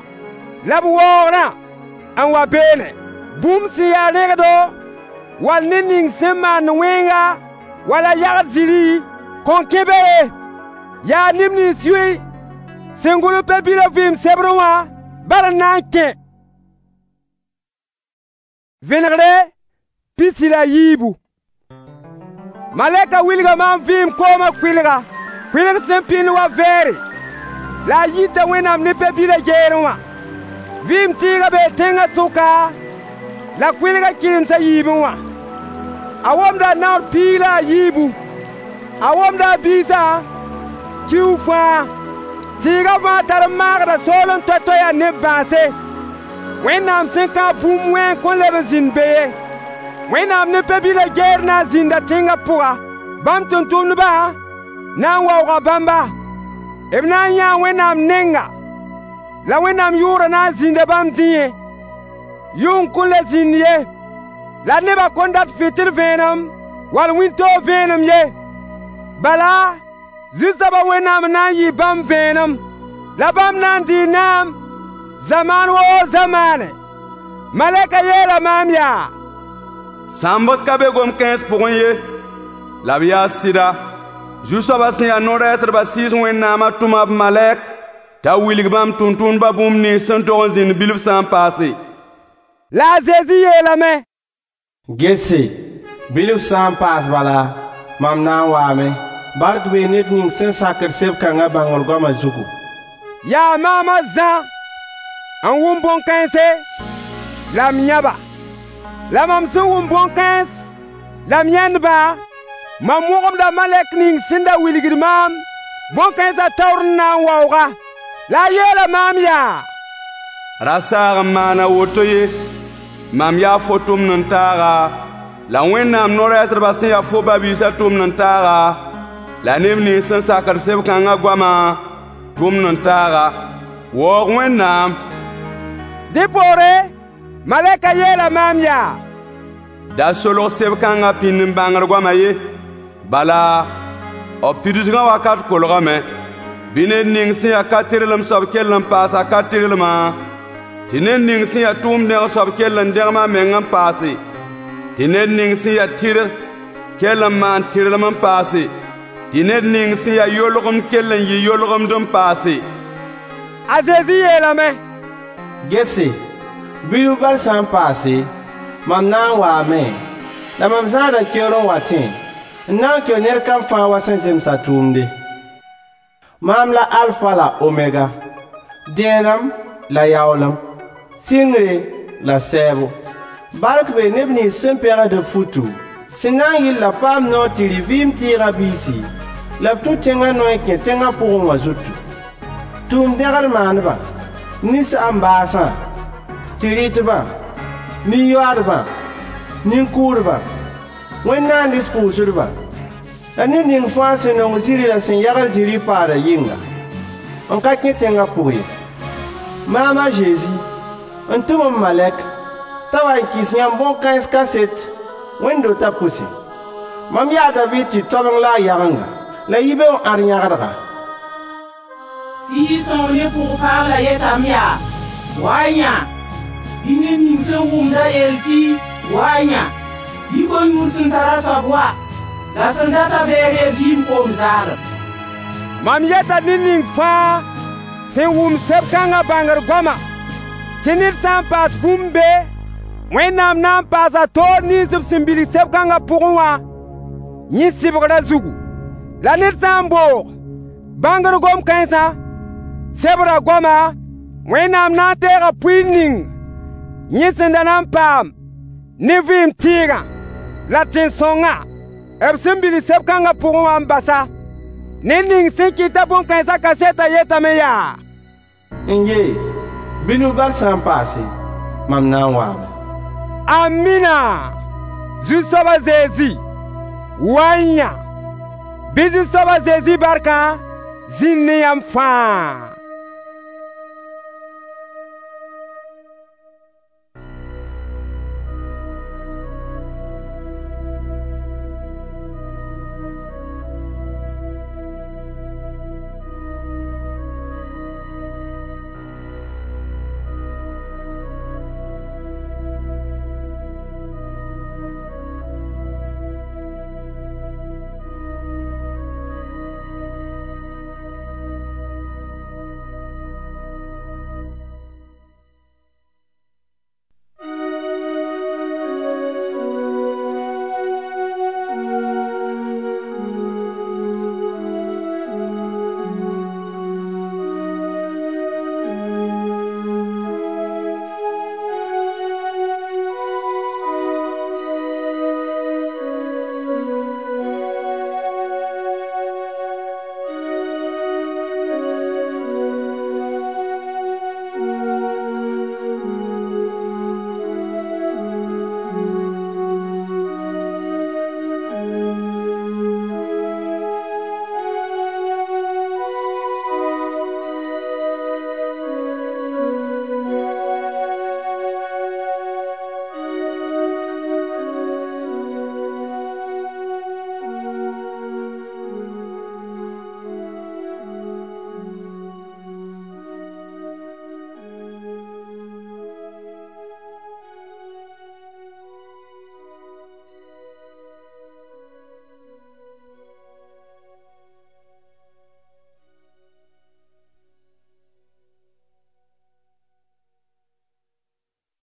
la b waoogrã n wa beene. Bũmb sẽn ya rẽgdo wall ned ning sẽn maand wẽnga wala yagd zĩri kõn kẽ be ye. Yaa neb nins yʋy sẽn gʋls Pe-bilã vɩɩm sebrẽ wã bal n na n kẽ. Vẽnegre 43. Malɛkã wilga maam vɩɩm koomã kʋɩlga, kʋɩlg sẽn pĩnd wa vɛɛre, la a yita Wẽnnaam ne Pe-bilã geerẽ wã. Vɩɩm tɩɩgã bee tẽngã sʋka, la kʋɩlgã kɩrems a yiibẽ wã. A womda naoor piig la a yiibu. A womda a biisã kiuug fãa. Tɩɩgã fãa tar n maagda soolem toay-toay yaa neb bãase. Wẽnnaam sẽn kãab bũmb wẽng kõn leb n zĩnd be ye. Wẽnnaam ne Pe-bilã geer na n zĩnda tẽngã pʋga. Bãmb tʋmtʋmdbã na n waooga bãmba. B na n yãa Wẽnnaam nenga, la Wẽnnaam yʋʋrã na n zĩnda bãmb dĩyẽ. Yʋng kõn le zĩnd ye, la nebã kõn dat fɩtɩl vẽenem wall wĩntoog vẽenem ye. Bala, Zu-soabã Wẽnnaam na n yɩ bãmb vẽenem, la bãmb na n dɩɩ naam zamaan woo zamaane. Malɛkã yeela maam yaa: Sãmbg ka be gom-kãens pʋgẽ ye, la b yaa sɩda. Zu-soabã sẽn ya no-rɛɛsdbã Sɩɩs Wẽnnaamã tʋma b malɛk t'a wilg bãmb tʋmtʋmdbã bũmb nins sẽn tog n zĩnd bilf sã n paase. La a Zezi yeelame: Gese, bilf sã n paas bala, mam na n waame. Bark bee ned ning sẽn sakd seb-kãngã bãngr goamã zugu. Yaa maam a Zã n wʋm bõn-kãense la m yãba. La mam sẽn wʋm bõn-kãens la m yãend-bã, mam wõgemda malɛk ning sẽn da wilgd maam bõn-kãensã taoor n na n waoog-a. La a yeela maam yaa: Ra saag n maan a woto ye. Mam yaa fo tʋmd-n-taaga, la Wẽnnaam no-rɛɛsdbã sẽn ya fo ba-biisã tʋmd-n-taaga, la neb nins sẽn sakd seb-kãngã goamã tʋmd-n-taaga. Waoog Wẽnnaam. Dẽ poore, malɛkã yeela maam yaa: Da solg seb-kãngã pĩnd n bãngr goamã ye. Bala, b pidsgã wakat kolgame. Bɩ ned ning sẽn ya ka-tɩrlem soab kell n paas a ka-tɩrlmã, tɩ ned ning sẽn ya tʋʋm-dẽg soab kell n dẽgem a meng n paase, tɩ ned ning sẽn ya tɩrg kell n maan tɩrlem n paase, tɩ ned ning sẽn ya yolgemd kell n yɩ yolgemd n paase. A Zezi yeelame: Gese, bilf bal sã n paase, mam na n waame, la mam zãada keoor n watẽ, n na n keo ned kam fãa wa sẽn zems a tʋʋmde. Maam la Alfa la Omega, dẽenem la yaoolem, sɩngre la sɛɛbo. Bark bee neb nins sẽn pegd b futu, sẽn na n yɩl la paam noor tɩ rɩ vɩɩm tɩɩgã biisi, la b tũ tẽngã noy n kẽ tẽngã pʋgẽ wã zutu. Tʋʋm-dẽgd maandbã, ninsaan-baasã, tɩ-rɩtbã, nin-yoaadbã, nin-kʋʋdbã, wẽn-naandɩs pʋʋsdbã, la ned ning fãa sẽn nong zĩri la sẽn yagd zĩri paadã yɩnga, n ka kẽ tẽngã pʋg ye. Maam a Zezi, n tʋm m malɛk t'a wa n kɩs yãmb bõn-kãens kaset wẽnd-dotã pʋse. Mam yaa a Daviid tɩ-toabeng la a yagenga, la yibeoog ãd yãgdga. Sɩɩg-sõng ne pʋg-paala yetame yaa: Wa-y yã! Bɩ ned ning sẽn wʋmda yeel tɩ: Wa-y yã! Bɩ koe-yũud sẽn tar a soab wa, la sẽn data beere vɩɩm koom zaalem. Mam yeta ned ning fãa sẽn wʋm seb-kãngã bãngr goamã, tɩ ned sã n paas bũmb be, Wẽnnaam na n paasa toor nins b sẽn bilg seb-kãngã pʋgẽ wã yẽ sɩbgrã zugu. La ned sã n boog bãngr gom-kãensã, sebrã goama, Wẽnnaam na n deega pʋɩɩr ning yẽ sẽn da na n paam ne vɩɩm tɩɩgã la tẽn-sõngã b sẽn bilg seb-kãngã pʋgẽ wã n bas-a. Ned ning sẽn kɩta bõn-kãensã kasetã yetame yaa: N-ye, bilf bal sã n paase, mam na n waame. Amina! Zu-soab a Zezi, wa n yã! Bɩ Zu-soab a Zezi barkã zĩnd ne yãmb fãa.